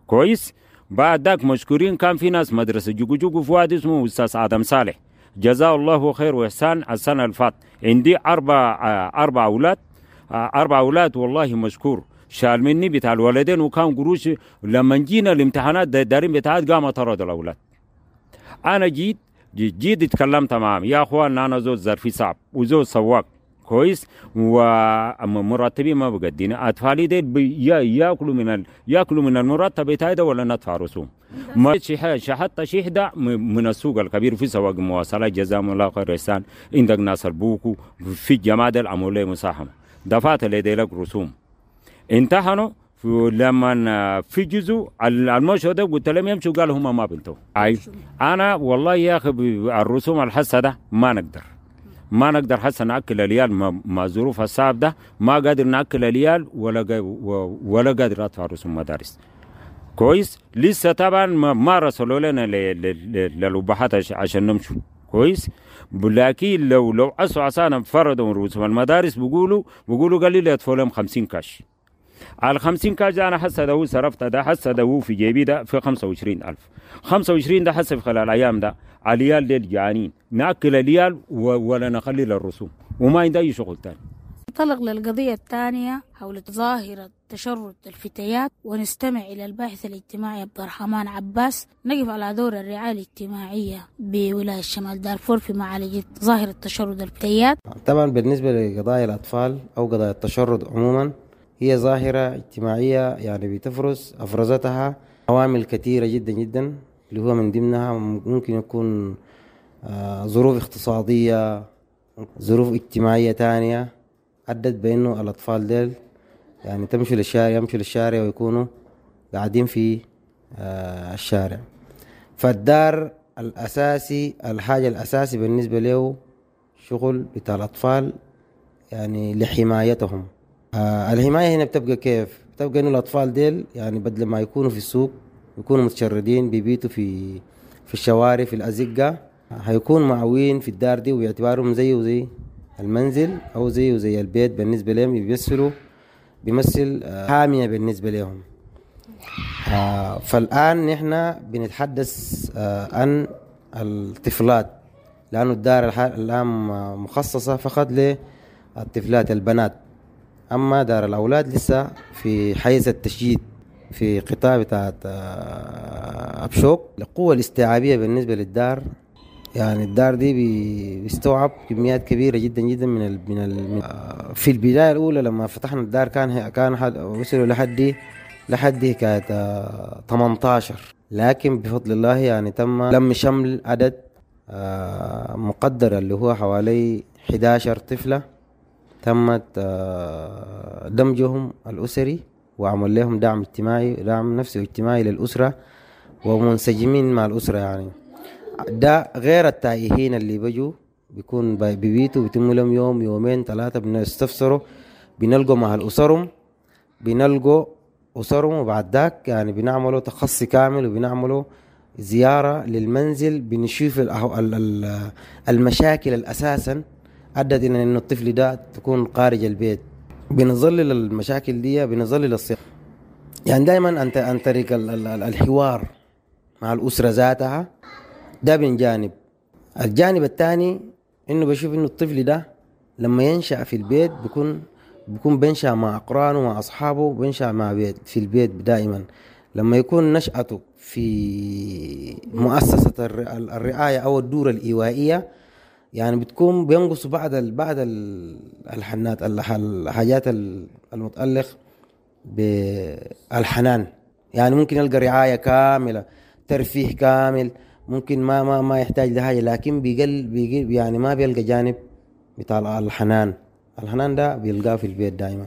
كويس، بعد ذاك مشكورين كان في ناس مدرسه جوجو جوجو في واحد اسمه استاذ ادم صالح جزاه الله خير واحسان. السنة اللي فات عندي اربع اولاد، 4 اولاد والله مشكور، شال مني بتاع الولدين وكان قروش. لما جينا الامتحانات دارين بتاعت قام طرد الاولاد. انا جيت اتكلمت معهم، يا اخوان انا زوج ظرفي صعب وزوج سواق. كويس، ومرتبي ما بقدينا، اطفالي ديل ياكلوا من المرتب بتاعي ده ولا ندفع رسوم. ما حتى شحده من السوق الكبير في سواق مواصلات جزاهم الله خير احسان. عندك ناس البوكو في الجماعة ديل عملوا لي مساهمة، دفعت لديلك رسوم. امتحنوا لما في جزء المشهد ده قلت لهم يمشوا، قالوا هم ما بنتوا. انا والله يا اخي الرسوم الحسه ده ما نقدر حسه ناكل العيال مع ظروف الصعب ده، ما قادر ناكل العيال ولا قادر ادفع رسوم مدارس. كويس، لسه طبعا ما رسلوا لنا للبحات عشان نمشوا. كويس، لكن لو عصوا عصانا فرضوا رسوم المدارس بيقولوا قال لي يدفعوا لهم 50 كاش. على 50 كاش انا حاسه ده هو صرفت ده، حاسه ده هو في جيبي ده في 25000. 25 ده حاسه في خلال الايام ده العيال ديل جعانين، ناكل العيال ولا نخلي للرسوم، وما عندي اي شغل ثاني. ننطلق للقضية الثانية حول ظاهرة تشرد الفتيات، ونستمع إلى الباحث الاجتماعي عبد الرحمن عباس. نقف على دور الرعاية الاجتماعية بولاية شمال دارفور في معالجة ظاهرة تشرد الفتيات. طبعا بالنسبة لقضايا الأطفال أو قضايا التشرد عموما، هي ظاهرة اجتماعية يعني بتفرز أفرزتها عوامل كثيرة جدا جدا، اللي هو من ضمنها ممكن يكون ظروف اقتصادية، ظروف اجتماعية تانية أدت بأنه الأطفال ديل يعني تمشوا للشارع، يمشوا للشارع ويكونوا قاعدين في الشارع. فالدار الأساسي، الحاجة الأساسي بالنسبة له شغل بتاع الأطفال يعني لحمايتهم. الحماية هنا بتبقى كيف؟ بتبقى إنه الأطفال ديل يعني بدل ما يكونوا في السوق يكونوا متشردين بيبيتوا في الشوارع في الأزقة، هيكون معوين في الدار دي ويعتبرهم زي وزي المنزل أو زي وزي البيت بالنسبة لهم، بيمثل حامية بالنسبة لهم. فالآن نحن بنتحدث عن الطفلات، لأنه الدار الآن مخصصة فقط للطفلات البنات، أما دار الأولاد لسه في حيز التشييد في قطاع بتاعت أبشوك. القوة الاستيعابية بالنسبة للدار، يعني الدار دي بيستوعب كميات كبيرة جدا جدا من في البداية الأولى لما فتحنا الدار كان وصلوا لحد كانت 18، لكن بفضل الله يعني تم لم شمل عدد مقدر اللي هو حوالي 11 طفلة تمت دمجهم الأسري وعمل لهم دعم اجتماعي، دعم نفسي واجتماعي للأسرة، ومنسجمين مع الأسرة. يعني ده غير التائهين اللي بيجوا بيكون ببيتوا بيتموا لهم يوم يومين ثلاثة، بنستفسروا بنلقوا مع الأسرهم، بنلقوا أسرهم، وبعد ذاك يعني بنعملوا تخصي كامل وبنعملوا زيارة للمنزل، بنشوف المشاكل الأساسا أدت إلى إنه الطفل ده تكون خارج البيت. بنظلل المشاكل دي، بنظلل الصياغة. يعني دائما عن طريق الحوار مع الأسرة ذاتها، ده من جانب. الجانب الثاني إنه بشوف إنه الطفل ده لما ينشأ في البيت بيكون بينشأ مع أقرانه مع أصحابه، بينشأ مع بيت في البيت دائما. لما يكون نشأته في مؤسسة الرعاية أو الدورة الإيوائية، يعني بتكون بينقص بعض الحنات، الحاجات المتعلق بالحنان. يعني ممكن يلقى رعاية كاملة، ترفيه كامل، ممكن ما ما ما يحتاج لحاجة، لكن بيقل يعني ما بيلقى جانب بتاع الحنان. الحنان ده بيلقاه في البيت دائما.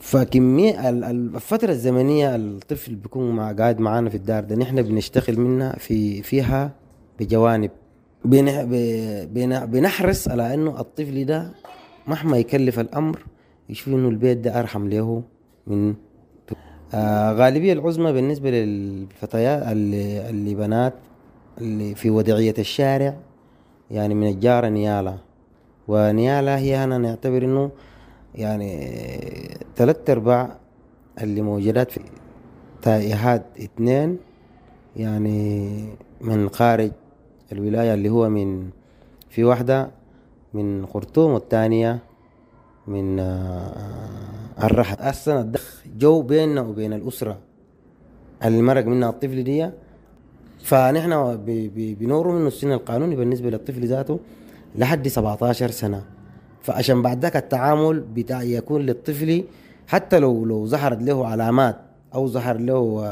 فكمية الفترة الزمنية الطفل بيكون قاعد معانا في الدار ده، نحن بنشتغل منها فيها بجوانب، بنحرص على انه الطفل ده مهما يكلف الامر يشوف انه البيت ده ارحم له من غالبية العظمى بالنسبة للفتيات اللي بنات اللي في وضعية الشارع، يعني من الجارة نيالا. ونيالا هي أنا نعتبر إنه يعني 3/4 اللي موجودات في تائهات 2 يعني من خارج الولاية، اللي هو من في واحدة من خرطوم والثانية من الرحل. أصلا الدخ جو بيننا وبين الأسرة اللي مرق منها الطفل دي، فنحن بنورو منه السن القانوني بالنسبة للطفل ذاته لحد 17 سنة. فعشان بعد ذاك التعامل بتاع يكون للطفل حتى لو ظهرت له علامات أو ظهر له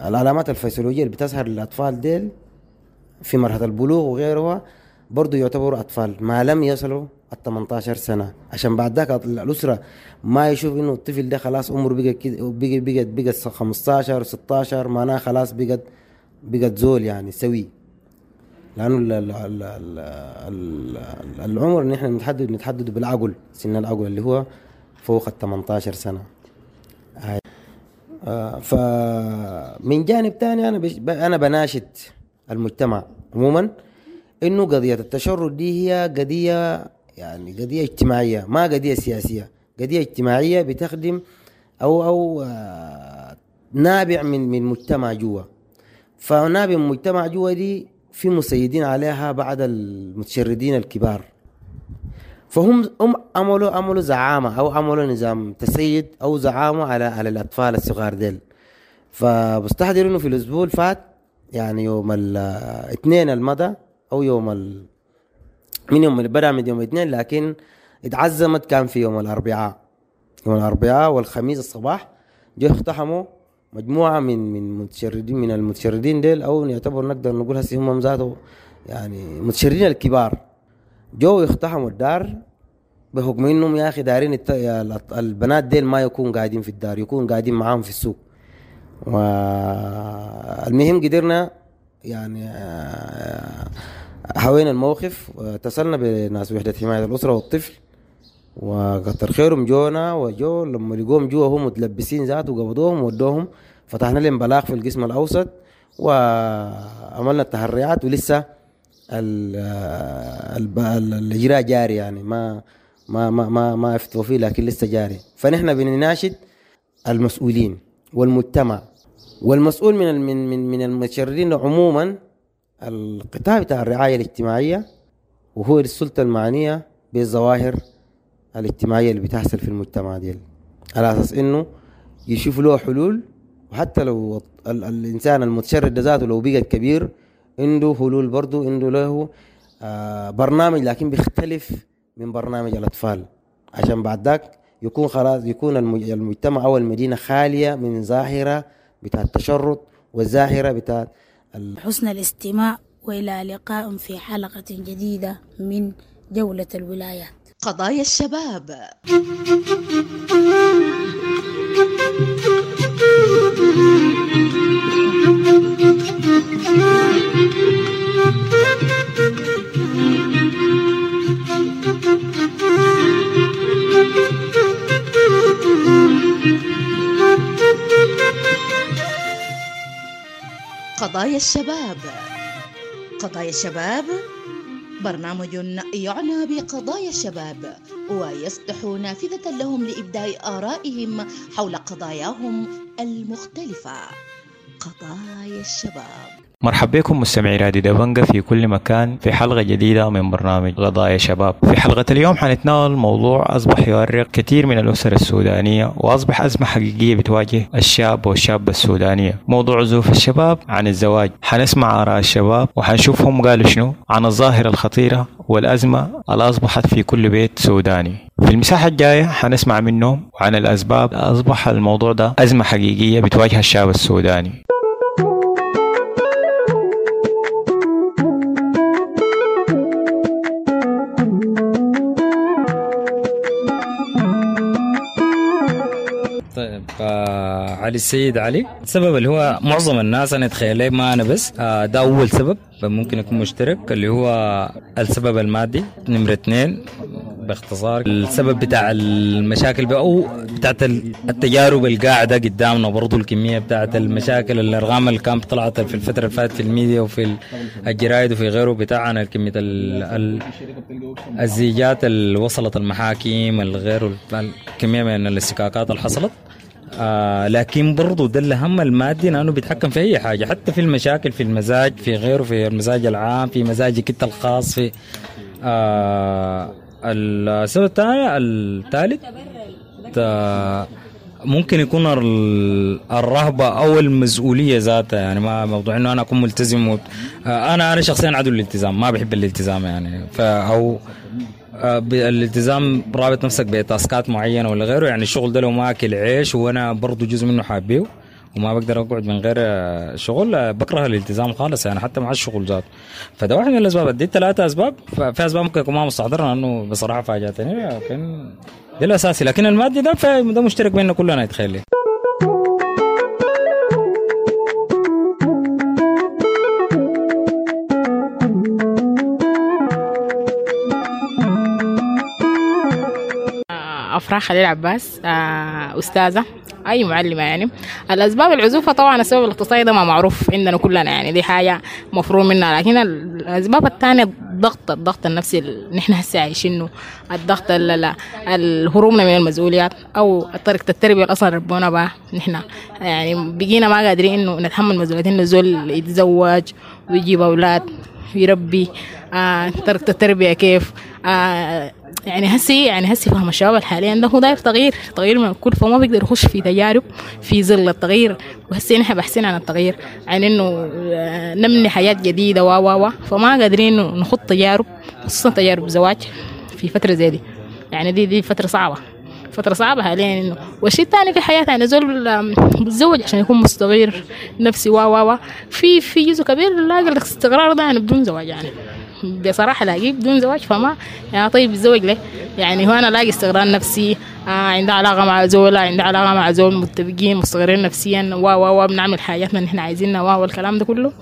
العلامات الفسيولوجية اللي بتظهر للأطفال ديل في مرحلة البلوغ وغيرها، برضو يعتبروا أطفال ما لم يصلوا 18 سنة. عشان بعد ذاك الأسرة ما يشوف إنه الطفل ده خلاص عمره بقى كده، بقى 15 16 معناه خلاص بقت زول يعني سوي. لأنه العمر اللي نحن نتحدد بالعقل، سن العقل اللي هو فوق 18 سنة. فمن جانب تاني أنا بناشد المجتمع عموما إنه قضية التشرد دي هي قضية، يعني قضية اجتماعية، ما قضية سياسية، قضية اجتماعية بتخدم أو نابع من مجتمع جوا. فنابع من مجتمع جوا دي في مسيدين عليها بعض المتشردين الكبار، فهم عملوا زعامة أو عملوا نظام تسيد أو زعامة على الأطفال الصغار ديل. فبستحضر إنه في الأسبوع الفات، يعني يوم الاثنين المضى أو يوم من يوم بدأ من يوم الاثنين، لكن اتعزمت كان في يوم الأربعاء. يوم الأربعاء والخميس الصباح جو اقتحموا مجموعة من متشردين، من المتشردين ديل، أو نعتبر نقدر نقول هسي هم ذاته يعني متشردين الكبار، جو يقتحموا الدار بحكم إنهم يا أخي دارين البنات ديل ما يكون قاعدين في الدار، يكون قاعدين معاهم في السوق. والمهم قدرنا يعني حوينا الموقف، اتصلنا بناس وحدة حماية الأسرة والطفل، وكتر خيرهم جونا، وجو لما لقوهم جوا هم متلبسين ذاته وقبضوهم وودوهم، فتحنا لهم بلاغ في القسم الأوسط وعملنا التحريات، ولسه الإجراء جاري، يعني ما ما ما ما ما افتوا فيه، لكن لسه جاري. فنحن بنناشد المسؤولين والمجتمع والمسؤول من من من المتشردين عموما، القطاع بتاع الرعاية الاجتماعية، وهو السلطة المعنية بالظواهر الاجتماعية اللي بتحصل في المجتمع ديل، على أساس إنه يشوف له حلول. وحتى لو الإنسان المتشرد ذاته لو بقى كبير عنده حلول برضو، عنده له برنامج، لكن بيختلف من برنامج الأطفال، عشان بعد ذاك يكون خلاص يكون المجتمع أو المدينة خالية من ظاهرة بتاع التشرد والظاهرة بتاع حسن الاستماع، وإلى لقاء في حلقة جديدة من جولة الولايات. قضايا الشباب. قضايا الشباب. قضايا الشباب برنامج يعنى بقضايا الشباب ويفتح نافذة لهم لإبداء آرائهم حول قضاياهم المختلفة. قضايا الشباب. مرحبا بكم مستمعي راديو دبنجة في كل مكان في حلقة جديدة من برنامج قضايا شباب. في حلقة اليوم حنتناول موضوع أصبح يؤرق كثير من الأسر السودانية وأصبح أزمة حقيقية بتواجه الشاب والشابة السودانية، موضوع عزوف الشباب عن الزواج. حنسمع آراء الشباب وحنشوفهم قالوا شنو عن الظاهرة الخطيرة والأزمة اللي أصبحت في كل بيت سوداني. في المساحة الجاية حنسمع منهم وعن الأسباب أصبح الموضوع ده أزمة حقيقية بتواجه الشاب السوداني. طيب علي السيد علي، السبب اللي هو معظم الناس انا اتخيل ما انا بس ده اول سبب ممكن يكون مشترك اللي هو السبب المادي. نمرة 2 باختصار السبب بتاع المشاكل او بتاعت التجارب القاعدة قدامنا، برضو الكمية بتاعت المشاكل الارقام اللي كانت طلعت في الفترة اللي فاتت في الميديا وفي الجرايد وفي غيره بتاعنا، كمية الزيجات اللي وصلت المحاكم الغير، الكمية من الاستكاكات اللي حصلت. لكن برضو ده الهم المادي لانه بيتحكم في اي حاجة، حتى في المشاكل، في المزاج، في غيره، في المزاج العام، في مزاجك انت الخاص، في السبب الثاني الثالث ممكن يكون الرهبة أو المسؤولية ذاتها. يعني ما موضوع إنه أنا أكون ملتزم أنا شخصيا عدو الالتزام، ما بحب الالتزام يعني، أو الالتزام رابط نفسك بتاسكات معينة ولا غيره. يعني الشغل ده لو ما أكل عيش وأنا برضو جزء منه حابيه وما بقدر أقعد من غير شغل، بكره الالتزام خالص يعني حتى مع الشغل ذاته. فده واحد من الأسباب. دي 3 أسباب. في أسباب ممكن يكون ما مستحضرها لأنه بصراحة فاجأتني، لكن ده الأساسي. لكن المادي ده مشترك بيننا كلنا يتخيل. أفراح خليل عباس، أستاذة أي معلمة. يعني الأسباب العزوفة طبعا السبب الاقتصادي ده ما معروف عندنا كلنا، يعني دي حاجة مفروض منها. لكن الأسباب الثانية الضغط النفسي اللي نحن هسه عايشينه، الضغط الهروبنا من المسؤوليات أو طريقة التربية اللي أصلا ربونا بها نحن، يعني بقينا ما قادرين إنه نتحمل مسؤولية إنه زول يتزوج ويجيب أولاد ويربي. طريقة التربية كيف، يعني هسي فهم الشباب حاليا ده هو داير تغيير من الكل، فما بيقدر يخش في تجارب في ظل التغيير. وهسي نحن باحثين عن التغيير، عن انه نبني حياة جديدة و فما قادرين انه نخط تجارب، خصوصا تجارب زواج في فترة زي دي. يعني دي فترة صعبة، فترة صعبة حاليا. انه والشيء الثاني في حياتنا يعني زول بيتزوج عشان يكون مستقر نفسي و في جزء كبير لاقي الاستقرار ده يعني بدون زواج، يعني بصراحة لاقيه بدون زواج. فما يعني طيب يتزوج ليه؟ يعني هو أنا لاقي استقرار نفسي، عندي علاقة مع زول، عندي علاقة مع زول، متفقين مستقرين نفسيا و بنعمل حاجاتنا اللي احنا عايزينها والكلام ده كله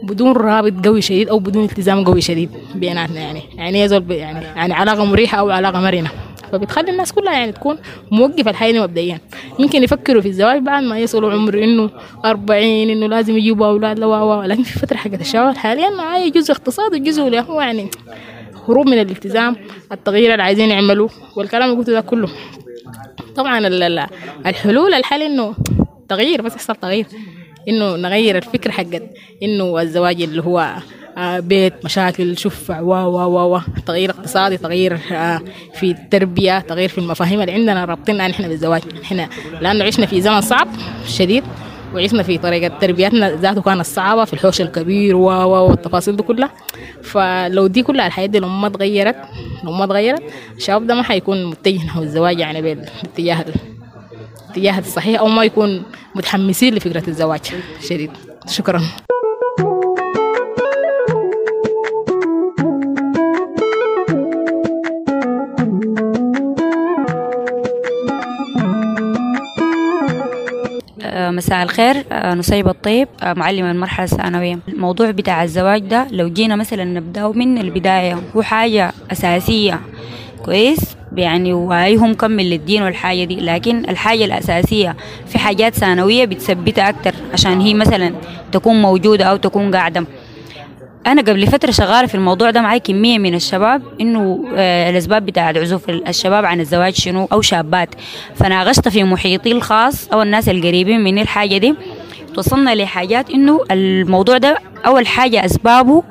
بدون رابط قوي شديد أو بدون التزام قوي شديد بيناتنا. يعني زول يعني علاقة مريحة أو علاقة مرنة، فبتخلي الناس كلها يعني تكون موقفة الحياة مبدئيا. يمكن يفكروا في الزواج بعد ما يصلوا عمر إنه 40 إنه لازم يجيبوا أولاد لا، لكن في فترة حقت الشباب حاليا هاي جزء اقتصاد وجزء اللي هو يعني هروب من الالتزام، التغيير اللي عايزين يعملوه والكلام اللي قلته ده كله. طبعا الحلول الحل إنه تغيير، بس يحصل تغيير، إنه نغير الفكرة حقت إنه الزواج اللي هو بيت مشاكل شفع و تغيير اقتصادي، تغيير في التربية، تغيير في المفاهيم اللي عندنا رابطينها نحن بالزواج. نحن لأنه عشنا في زمن صعب شديد، وعشنا في طريقة تربيتنا ذاته كانت صعبة في الحوش الكبير والتفاصيل دي كلها. فلو دي كلها الحياة دي لو ما اتغيرت الشباب ده ما حيكون متجه نحو الزواج يعني بالاتجاه الصحيح، أو ما يكون متحمسين لفكرة الزواج شديد. شكرا. مساء الخير، نصيب الطيب، معلمة المرحلة الثانوية. الموضوع بتاع الزواج ده لو جينا مثلا نبدأه من البداية هو حاجة أساسية كويس يعني، وهي هو مكمل للدين والحاجة دي، لكن الحاجة الأساسية في حاجات ثانوية بتثبتها أكتر عشان هي مثلا تكون موجودة أو تكون قاعدة. أنا قبل فترة شغالة في الموضوع ده معي كمية من الشباب، إنه الأسباب بتاعت عزوف الشباب عن الزواج شنو أو شابات، فناقشت في محيطي الخاص أو الناس القريبين مني الحاجة دي، توصلنا لحاجات إنه الموضوع ده أول حاجة أسبابه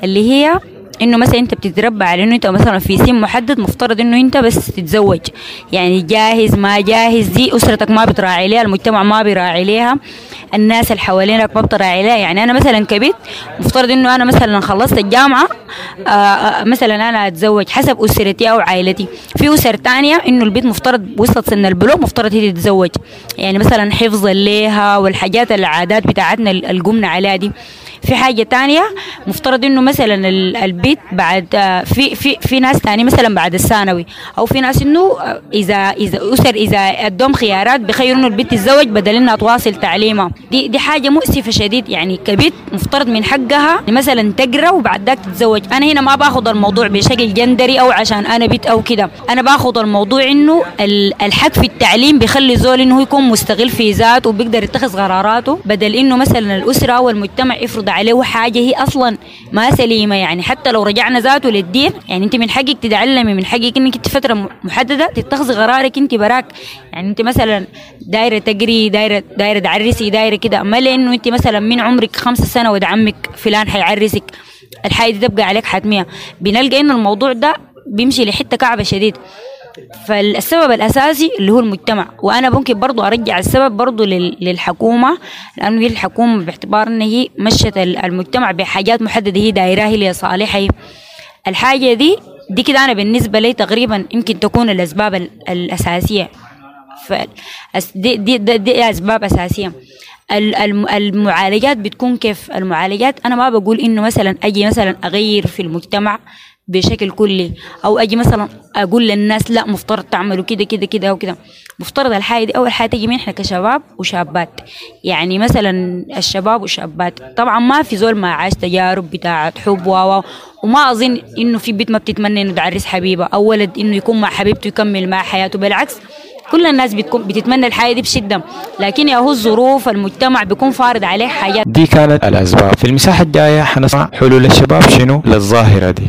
اللي هي إنه مثلا أنت بتتربى على إنه أنت مثلا في سن محدد مفترض إنه أنت بس تتزوج، يعني جاهز ما جاهز دي أسرتك ما بتراعي ليها، المجتمع ما بيراعي ليها، الناس اللي حوالينك ما بتراعي ليها. يعني أنا مثلا كبيت مفترض إنه أنا مثلا خلصت الجامعة مثلا أنا أتزوج حسب أسرتي أو عائلتي. في أسر تانية إنه البيت مفترض وصلت سن البلوغ مفترض هي تتزوج، يعني مثلا حفظا ليها والحاجات العادات بتاعتنا اللي قمنا عليها دي. في حاجة تانية مفترض إنه مثلا البيت بعد في في في ناس تاني مثلا بعد الثانوي، أو في ناس إنه إذا أسر إذا أدوم خيارات بخيروا إنه البيت تتزوج بدل إنها تواصل تعليمها. دي حاجة مؤسفة شديد. يعني كبيت مفترض من حقها مثلا تقرأ وبعد ذاك تتزوج. أنا هنا ما باخذ الموضوع بشكل جندري أو عشان أنا بيت أو كده، أنا باخذ الموضوع إنه الحق في التعليم بيخلي زول إنه يكون مستغل في ذاته وبيقدر يتخذ قراراته، بدل إنه مثلا الأسرة أو المجتمع يفرض عليه حاجة هي أصلا ما سليمة. يعني حتى لو رجعنا ذاته للدين، يعني أنت من حقك تتعلمي، من حقك إنك أنت فترة محددة تتخذي قرارك أنت براك. يعني أنت مثلا دايرة تقري، دايرة تعرسي، دايرة كده، ما لأنه أنت مثلا من عمرك 5 سنة ود عمك فلان حيعرسك، الحاجة دي تبقى عليك حتمية. بنلقى إنه الموضوع ده بيمشي لحتة كعبة شديد. فالسبب الأساسي اللي هو المجتمع، وأنا ممكن برضو أرجع السبب برضو للحكومة، لأنه هي الحكومة باعتبار أن هي مشت المجتمع بحاجات محددة هي دايراها لصالحها. الحاجة دي كده أنا بالنسبة لي تقريبا يمكن تكون الأسباب الأساسية. دي, دي, دي أسباب أساسية. المعالجات بتكون كيف؟ المعالجات أنا ما بقول إنه مثلا أجي مثلا أغير في المجتمع بشكل كلي، أو أجي مثلا أقول للناس لا مفترض تعملوا كده كده كده أو كده. مفترض الحاجة دي أول حاجة تجي من إحنا كشباب وشابات. يعني مثلا الشباب والشابات طبعا ما في زول ما عاش تجارب بتاعة حب وما أظن إنه في بيت ما بتتمنى إنه تعرس حبيبة أو ولد إنه يكون مع حبيبته يكمل مع حياته، بالعكس كل الناس بتكون بتتمنى الحياة دي بشدة، لكن يا هو الظروف المجتمع بيكون فارض عليه حاجات. دي كانت الأسباب. في المساحة الجاية حنسمع حلول الشباب شنو للظاهرة دي.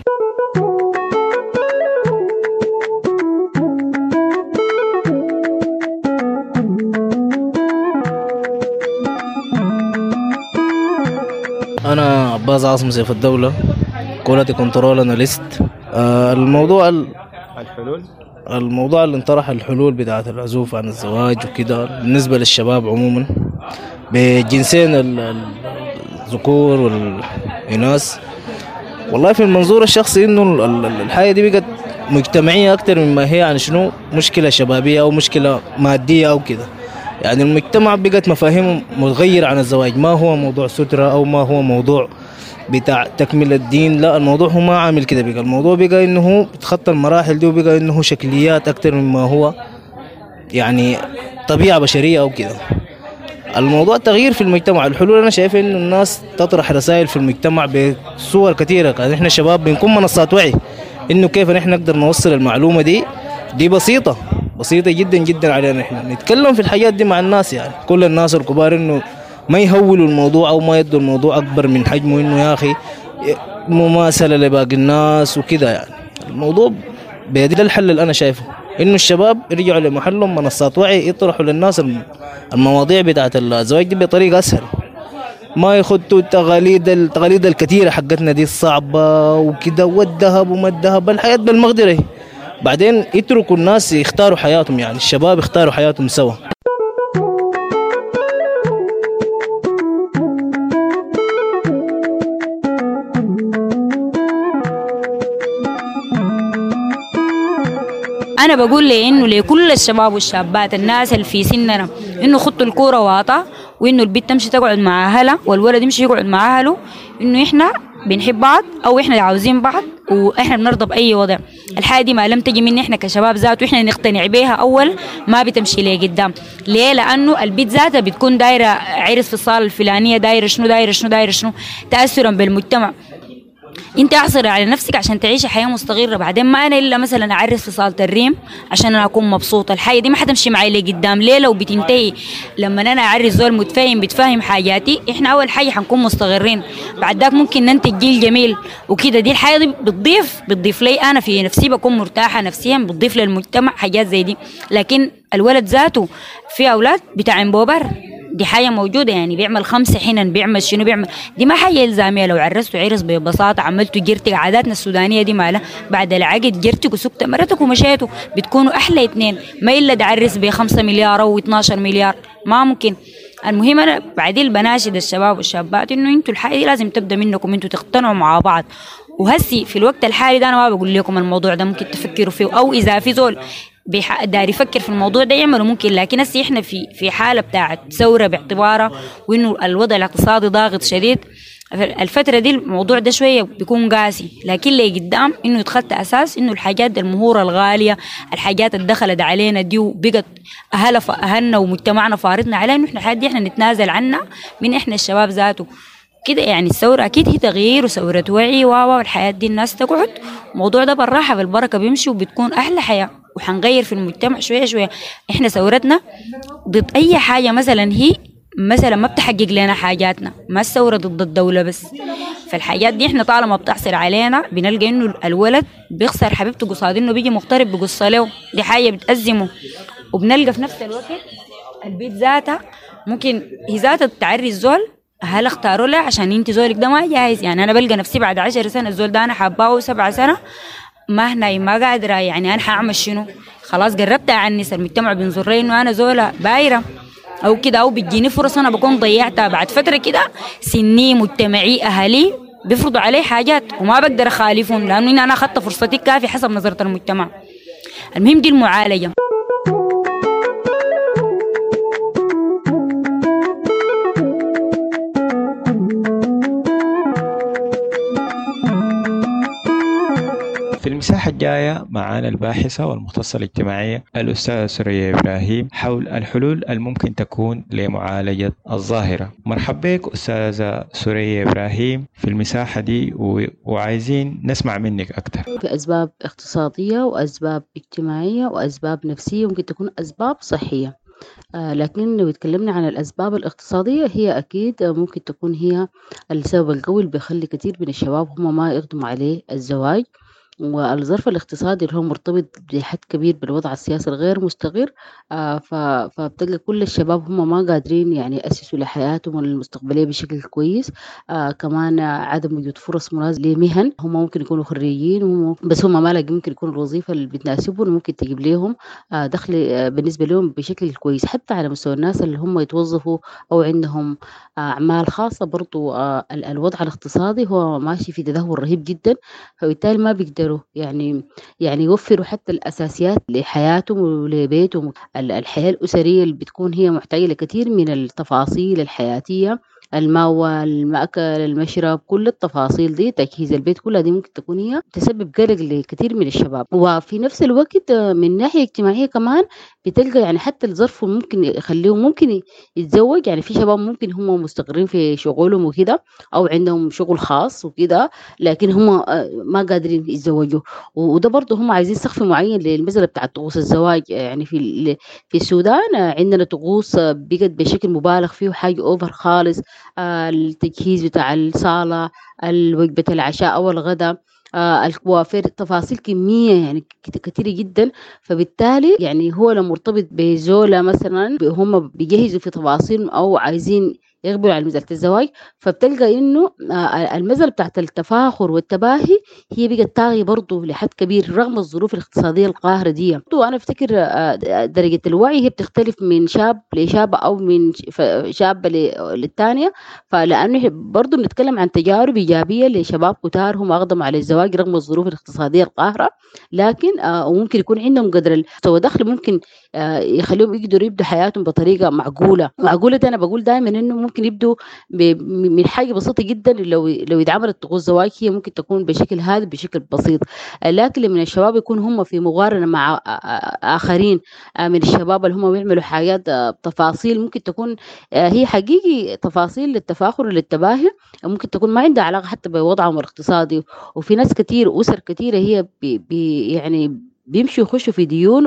أنا عباس عاصم سيف الدولة، quality control analyst. الموضوع الموضوع اللي انطرح الحلول بتاعة العزوف عن الزواج وكده بالنسبة للشباب عموما بجنسين الذكور والإناث. والله في المنظور الشخصي إنه الحياة دي بقت مجتمعية أكتر مما هي يعني شنو مشكلة شبابية أو مشكلة مادية أو كده. يعني المجتمع بقت مفاهيمه متغيرة عن الزواج، ما هو موضوع سترة أو ما هو موضوع بتاع تكمل الدين، لا الموضوع هو ما عامل كده. بقى الموضوع بقى إنه هو بتخطى المراحل دي، وبقى إنه هو شكليات أكتر مما هو يعني طبيعة بشرية أو كده. الموضوع تغيير في المجتمع. الحلول أنا شايف إنه الناس تطرح رسائل في المجتمع بصور كثيرة. يعني إحنا شباب بنكون منصات وعي إنه كيف نحن نقدر نوصل المعلومة دي بسيطة بسيطة جدا جدا علينا إحنا نتكلم في الحاجات دي مع الناس. يعني كل الناس الكبار إنه ما يهولوا الموضوع أو ما يدوا الموضوع أكبر من حجمه، إنه يا أخي مماثلة لباقي الناس وكده. يعني الموضوع بيدي الحل اللي أنا شايفه إنه الشباب يرجعوا لمحلهم منصات وعي، يطرحوا للناس المواضيع بتاعة الزواج دي بطريقة أسهل، ما يخدوا التقاليد الكثيرة حقتنا دي الصعبة وكده، والذهب وما الذهب، الحياة بالمقدرة. بعدين يتركوا الناس يختاروا حياتهم، يعني الشباب يختاروا حياتهم سوا. أنا بقول لي إنه لكل الشباب والشابات الناس اللي في سننا إنه خطوا الكورة واطا، وإنه البنت تمشي تقعد مع أهلها والولد يمشي يقعد مع أهله، إنه إحنا بنحب بعض أو إحنا عاوزين بعض وإحنا بنرضى بأي وضع. الحاجة دي ما لم تجي من إحنا كشباب ذات وإحنا نقتنع بيها أول ما بتمشي ليه قدام. ليه؟ لأنه البيت ذاتها بتكون دايرة عرس في الصالة الفلانية، دايرة شنو دايرة شنو دايرة شنو، تأثرا بالمجتمع. انت اعصري على نفسك عشان تعيشي حياة مستقره. بعدين ما انا الا مثلا اعرس في صاله الريم عشان انا اكون مبسوطة، الحياة دي ما حتمشي معي لقدام ليلة وبتنتهي. لما انا اعرس زول متفاهم بتفهم حاجاتي، احنا اول حاجة حنكون مستقرين، بعد ذاك ممكن ننتج جيل جميل وكده. دي الحياة دي بتضيف لي انا في نفسي، بكون مرتاحة نفسيا، بتضيف للمجتمع حاجات زي دي. لكن الولد ذاته في اولاد بتاع بوبر، دي حاجة موجودة، يعني بيعمل 5 حنن، بيعمل شنو بيعمل، دي ما حاجة إلزامية. لو عرسته عرس ببساطة، عملته جرتك، عاداتنا السودانية دي مالها بعد العقد جرتك وسكت مرتك ومشيتوا، بتكونوا أحلى 2. ما إلا تعرس ب5 مليار أو 12 مليار، ما ممكن. المهم أنا بعدين بناشد الشباب والشابات إنه أنتوا الحاجة دي لازم تبدأ منكم، أنتوا تقتنعوا مع بعض. وهسي في الوقت الحالي ده أنا ما بقول لكم الموضوع ده ممكن تفكروا فيه، أو إذا في زول داري يفكر في الموضوع ده يعمله ممكن. لكن هسه احنا في حاله بتاعت ثورة باعتبارها، وانه الوضع الاقتصادي ضاغط شديد الفترة دي، الموضوع ده شوية بيكون قاسي. لكن اللي قدام انه يتخطى اساس انه الحاجات المهوره الغالية، الحاجات اللي دخلت علينا دي وبقت اهلنا ومجتمعنا فارضنا علينا، انه احنا الحاجات دي احنا نتنازل عنها من احنا الشباب ذاته كده. يعني الثورة أكيد هي تغيير وثورة وعي والحياة دي الناس تقعد الموضوع ده بالراحة بالبركة بيمشي، وبتكون أحلى حياة، وحنغير في المجتمع شوية شوية. إحنا ثورتنا ضد أي حاجة مثلا هي مثلا ما بتحقق لنا حاجاتنا، ما الثورة ضد الدولة بس. فالحاجات دي إحنا طالما بتحصل علينا بنلقى إنه الولد بيخسر حبيبته قصاد إنه بيجي مغترب بقصة له، دي حاجة بتأزمه. وبنلقى في نفس الوقت البيت ذاتها ممكن هي ذاتها تعري الزول، هل اختاروا له عشان انت زولك ده ما جاهز. يعني انا بلقى نفسي بعد 10 سنة الزول ده انا حباه 7 سنة ما هنا ما قادرة، يعني انا حاعمل شنو؟ خلاص قربت اعنس، المجتمع بينظر لي انه انا زوله بايره او كده، او بتجيني فرص انا بكون ضيعتها. بعد فترة كده سني مجتمعي اهلي بيفرضوا علي حاجات وما بقدر اخالفهم، لانه انا اخذت فرصتي الكافيه حسب نظره المجتمع. المهم دي المعالجة. في المساحة الجاية معنا الباحثة والمختصة الاجتماعية الأستاذة سرية إبراهيم حول الحلول الممكن تكون لمعالجة الظاهرة. مرحبا بك أستاذة سرية إبراهيم في المساحة دي، وعايزين نسمع منك أكثر. في أسباب اقتصادية وأسباب اجتماعية وأسباب نفسية، ممكن تكون أسباب صحية. لكن لو اتكلمنا عن الأسباب الاقتصادية، هي أكيد ممكن تكون هي السبب القوي اللي بيخلي كثير من الشباب هم ما يقدموا عليه الزواج. والظرف الاقتصادي اللي هو مرتبط بحد كبير بالوضع السياسي الغير مستقر، فبتلقى كل الشباب هم ما قادرين يعني يأسسوا لحياتهم المستقبلية بشكل كويس. كمان عدم وجود فرص مناسبة لمهن، هم ممكن يكونوا خريجين بس هم ما لاقيين ممكن يكون الوظيفة اللي بتناسبهم وممكن تجيب لهم دخل بالنسبة لهم بشكل كويس. حتى على مستوى الناس اللي هم يتوظفوا أو عندهم أعمال خاصة، برضو الوضع الاقتصادي هو ماشي في تدهور رهيب جدا، فبالتالي ما بيقدروا يعني يوفروا حتى الأساسيات لحياتهم ولبيتهم. الحياة الأسرية اللي بتكون هي محتاجة لكثير من التفاصيل الحياتية، المأوى، المأكل، المشرب، كل التفاصيل دي، تجهيز البيت، كلها دي ممكن تكون هي تسبب قلق لكثير من الشباب. وفي نفس الوقت من ناحية اجتماعية كمان بتلقى يعني حتى الظرف ممكن يخليهم ممكن يتزوج. يعني في شباب ممكن هم مستقرين في شغلهم وكده، أو عندهم شغل خاص وكده، لكن هم ما قادرين يتزوجوا. وده برضه هم عايزين سقف معين للمسألة بتاعت طقوس الزواج. يعني في السودان عندنا طقوس بقت بشكل مبالغ فيه، وحاجة أوفر خالص. التجهيز بتاع الصالة، وجبة العشاء أو الغداء، الكوافير، تفاصيل كمية يعني كثيرة جدا. فبالتالي يعني هو لو مرتبط بزولة مثلا، هم بيجهزوا في تفاصيل أو عايزين يقبلوا على مسألة الزواج، فبتلقى إنه المسألة بتاعت التفاخر والتباهي هي بقت طاغية برضه لحد كبير رغم الظروف الاقتصادية القاهرة دي. وأنا أفتكر درجة الوعي هي بتختلف من شاب لشاب أو من شابة للتانية، فلأنه برضه بنتكلم عن تجارب إيجابية لشباب كتار هم أقدموا على الزواج رغم الظروف الاقتصادية القاهرة، لكن وممكن يكون عندهم قدر مستوى دخل ممكن يخليهم يقدروا يبدوا حياتهم بطريقة معقولة. معقولة ده انا بقول دائما انه ممكن يبدوا من حاجة بسيطة جدا، لو اتعملت طقوس زواج هي ممكن تكون بشكل هادئ بشكل بسيط. لكن لما الشباب يكون هم في مقارنة مع اخرين من الشباب اللي هم بيعملوا حاجات تفاصيل ممكن تكون هي حقيقي تفاصيل للتفاخر وللتباهي، ممكن تكون ما عندها علاقة حتى بوضعهم الاقتصادي. وفي ناس كتير اسر كتيرة هي بي بي يعني بيمشوا يخشوا في ديون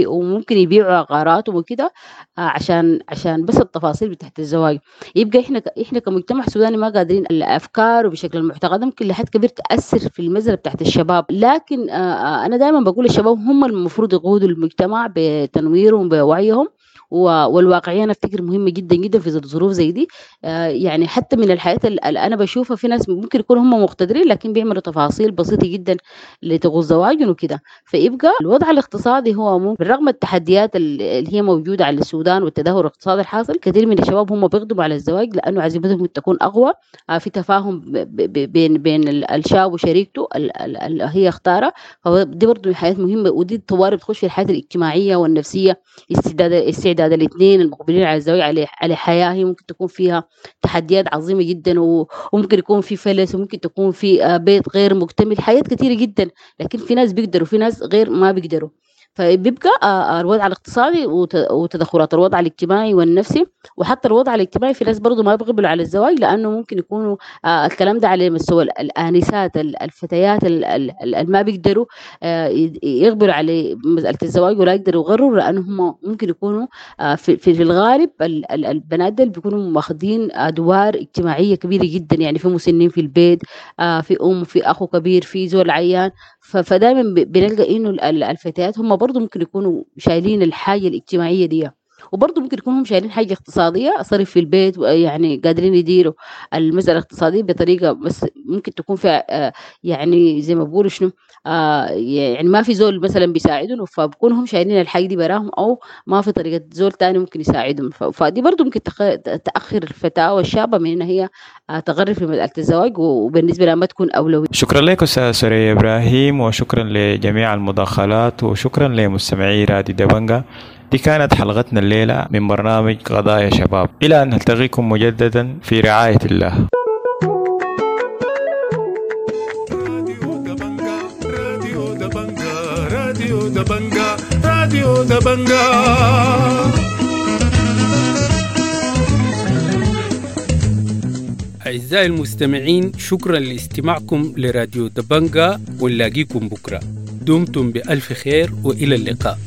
وممكن يبيعوا عقاراتهم وكده عشان بس التفاصيل بتاعت الزواج. يبقى احنا كمجتمع سوداني ما قادرين، الافكار وبشكل المعتقد ممكن لحد كبير تاثر في المزرعة بتاعت الشباب. لكن انا دائما بقول الشباب هم المفروض يقودوا المجتمع بتنويرهم بوعيهم، والواقعية أنا أفتكر مهمة جدا جدا في ظروف زي دي. يعني حتى من الحياة اللي أنا بشوفها في ناس ممكن يكونوا هم مقتدرين لكن بيعملوا تفاصيل بسيطة جدا لتغوص زواجهم وكده. فيبقى الوضع الاقتصادي هو ممكن بالرغم التحديات اللي هي موجودة على السودان والتدهور الاقتصادي الحاصل، كثير من الشباب هم بيقدموا على الزواج لأنه عزيمتهم تكون أقوى. في تفاهم بين الشاب وشريكته اللي هي اختارها، فدي برضه حياة مهمة، ودي الطوارئ بتخش في الحياة الاجتماعية والنفسية، استعداد الاثنين المقبلين على الزواج على حياة هي ممكن تكون فيها تحديات عظيمة جدا، وممكن يكون في فلس، وممكن تكون في بيت غير مكتمل، حياة كثيرة جدا. لكن في ناس بيقدروا في ناس غير ما بيقدروا. فبيبقى الوضع الاقتصادي وتدخلات الوضع الاجتماعي والنفسي، وحتى الوضع الاجتماعي في ناس برضو ما بيقبلوا على الزواج لأنه ممكن يكونوا الكلام ده على مستوى الآنسات الفتيات اللي ما بيقدروا يقبلوا على مسألة الزواج ولا يقدروا يغروا، لأنه هم ممكن يكونوا في الغالب البنات دول بيكونوا ماخذين أدوار اجتماعية كبيرة جدا، يعني في مسنين في البيت، في أم، في أخو كبير، في زول عيان. فدائما بنلقى إنه الفتيات هم برضو ممكن يكونوا شايلين الحاجة الاجتماعية دي، وبرضه ممكن يكونوا هم شايلين حاجة اقتصادية، صرف في البيت، يعني قادرين يديروا المسألة الاقتصادية بطريقة، بس ممكن تكون فيها يعني زي ما بقولوا شنو، يعني ما في زول مثلا بيساعدهم، فبكونوا هم شايلين الحاجة دي براهم، أو ما في طريقة زول تاني ممكن يساعدهم. فدي برضه ممكن تأخر الفتاة والشابة من إن هي تغرب في مسألة الزواج، وبالنسبة لها ما تكون أولوية. شكرا لك أستاذ سوريا إبراهيم، وشكرا لجميع المداخلات، وشكرا لمستمعي راديو دبنجة. دي كانت حلقتنا الليلة من برنامج قضايا شباب. إلى أن نلتقيكم مجددا في رعاية الله. راديو دبنجة، راديو دبنجة، راديو دبنجة. أعزائي المستمعين، شكرا لاستماعكم لراديو دبنجة، ونلاقيكم بكرة. دمتم بألف خير وإلى اللقاء.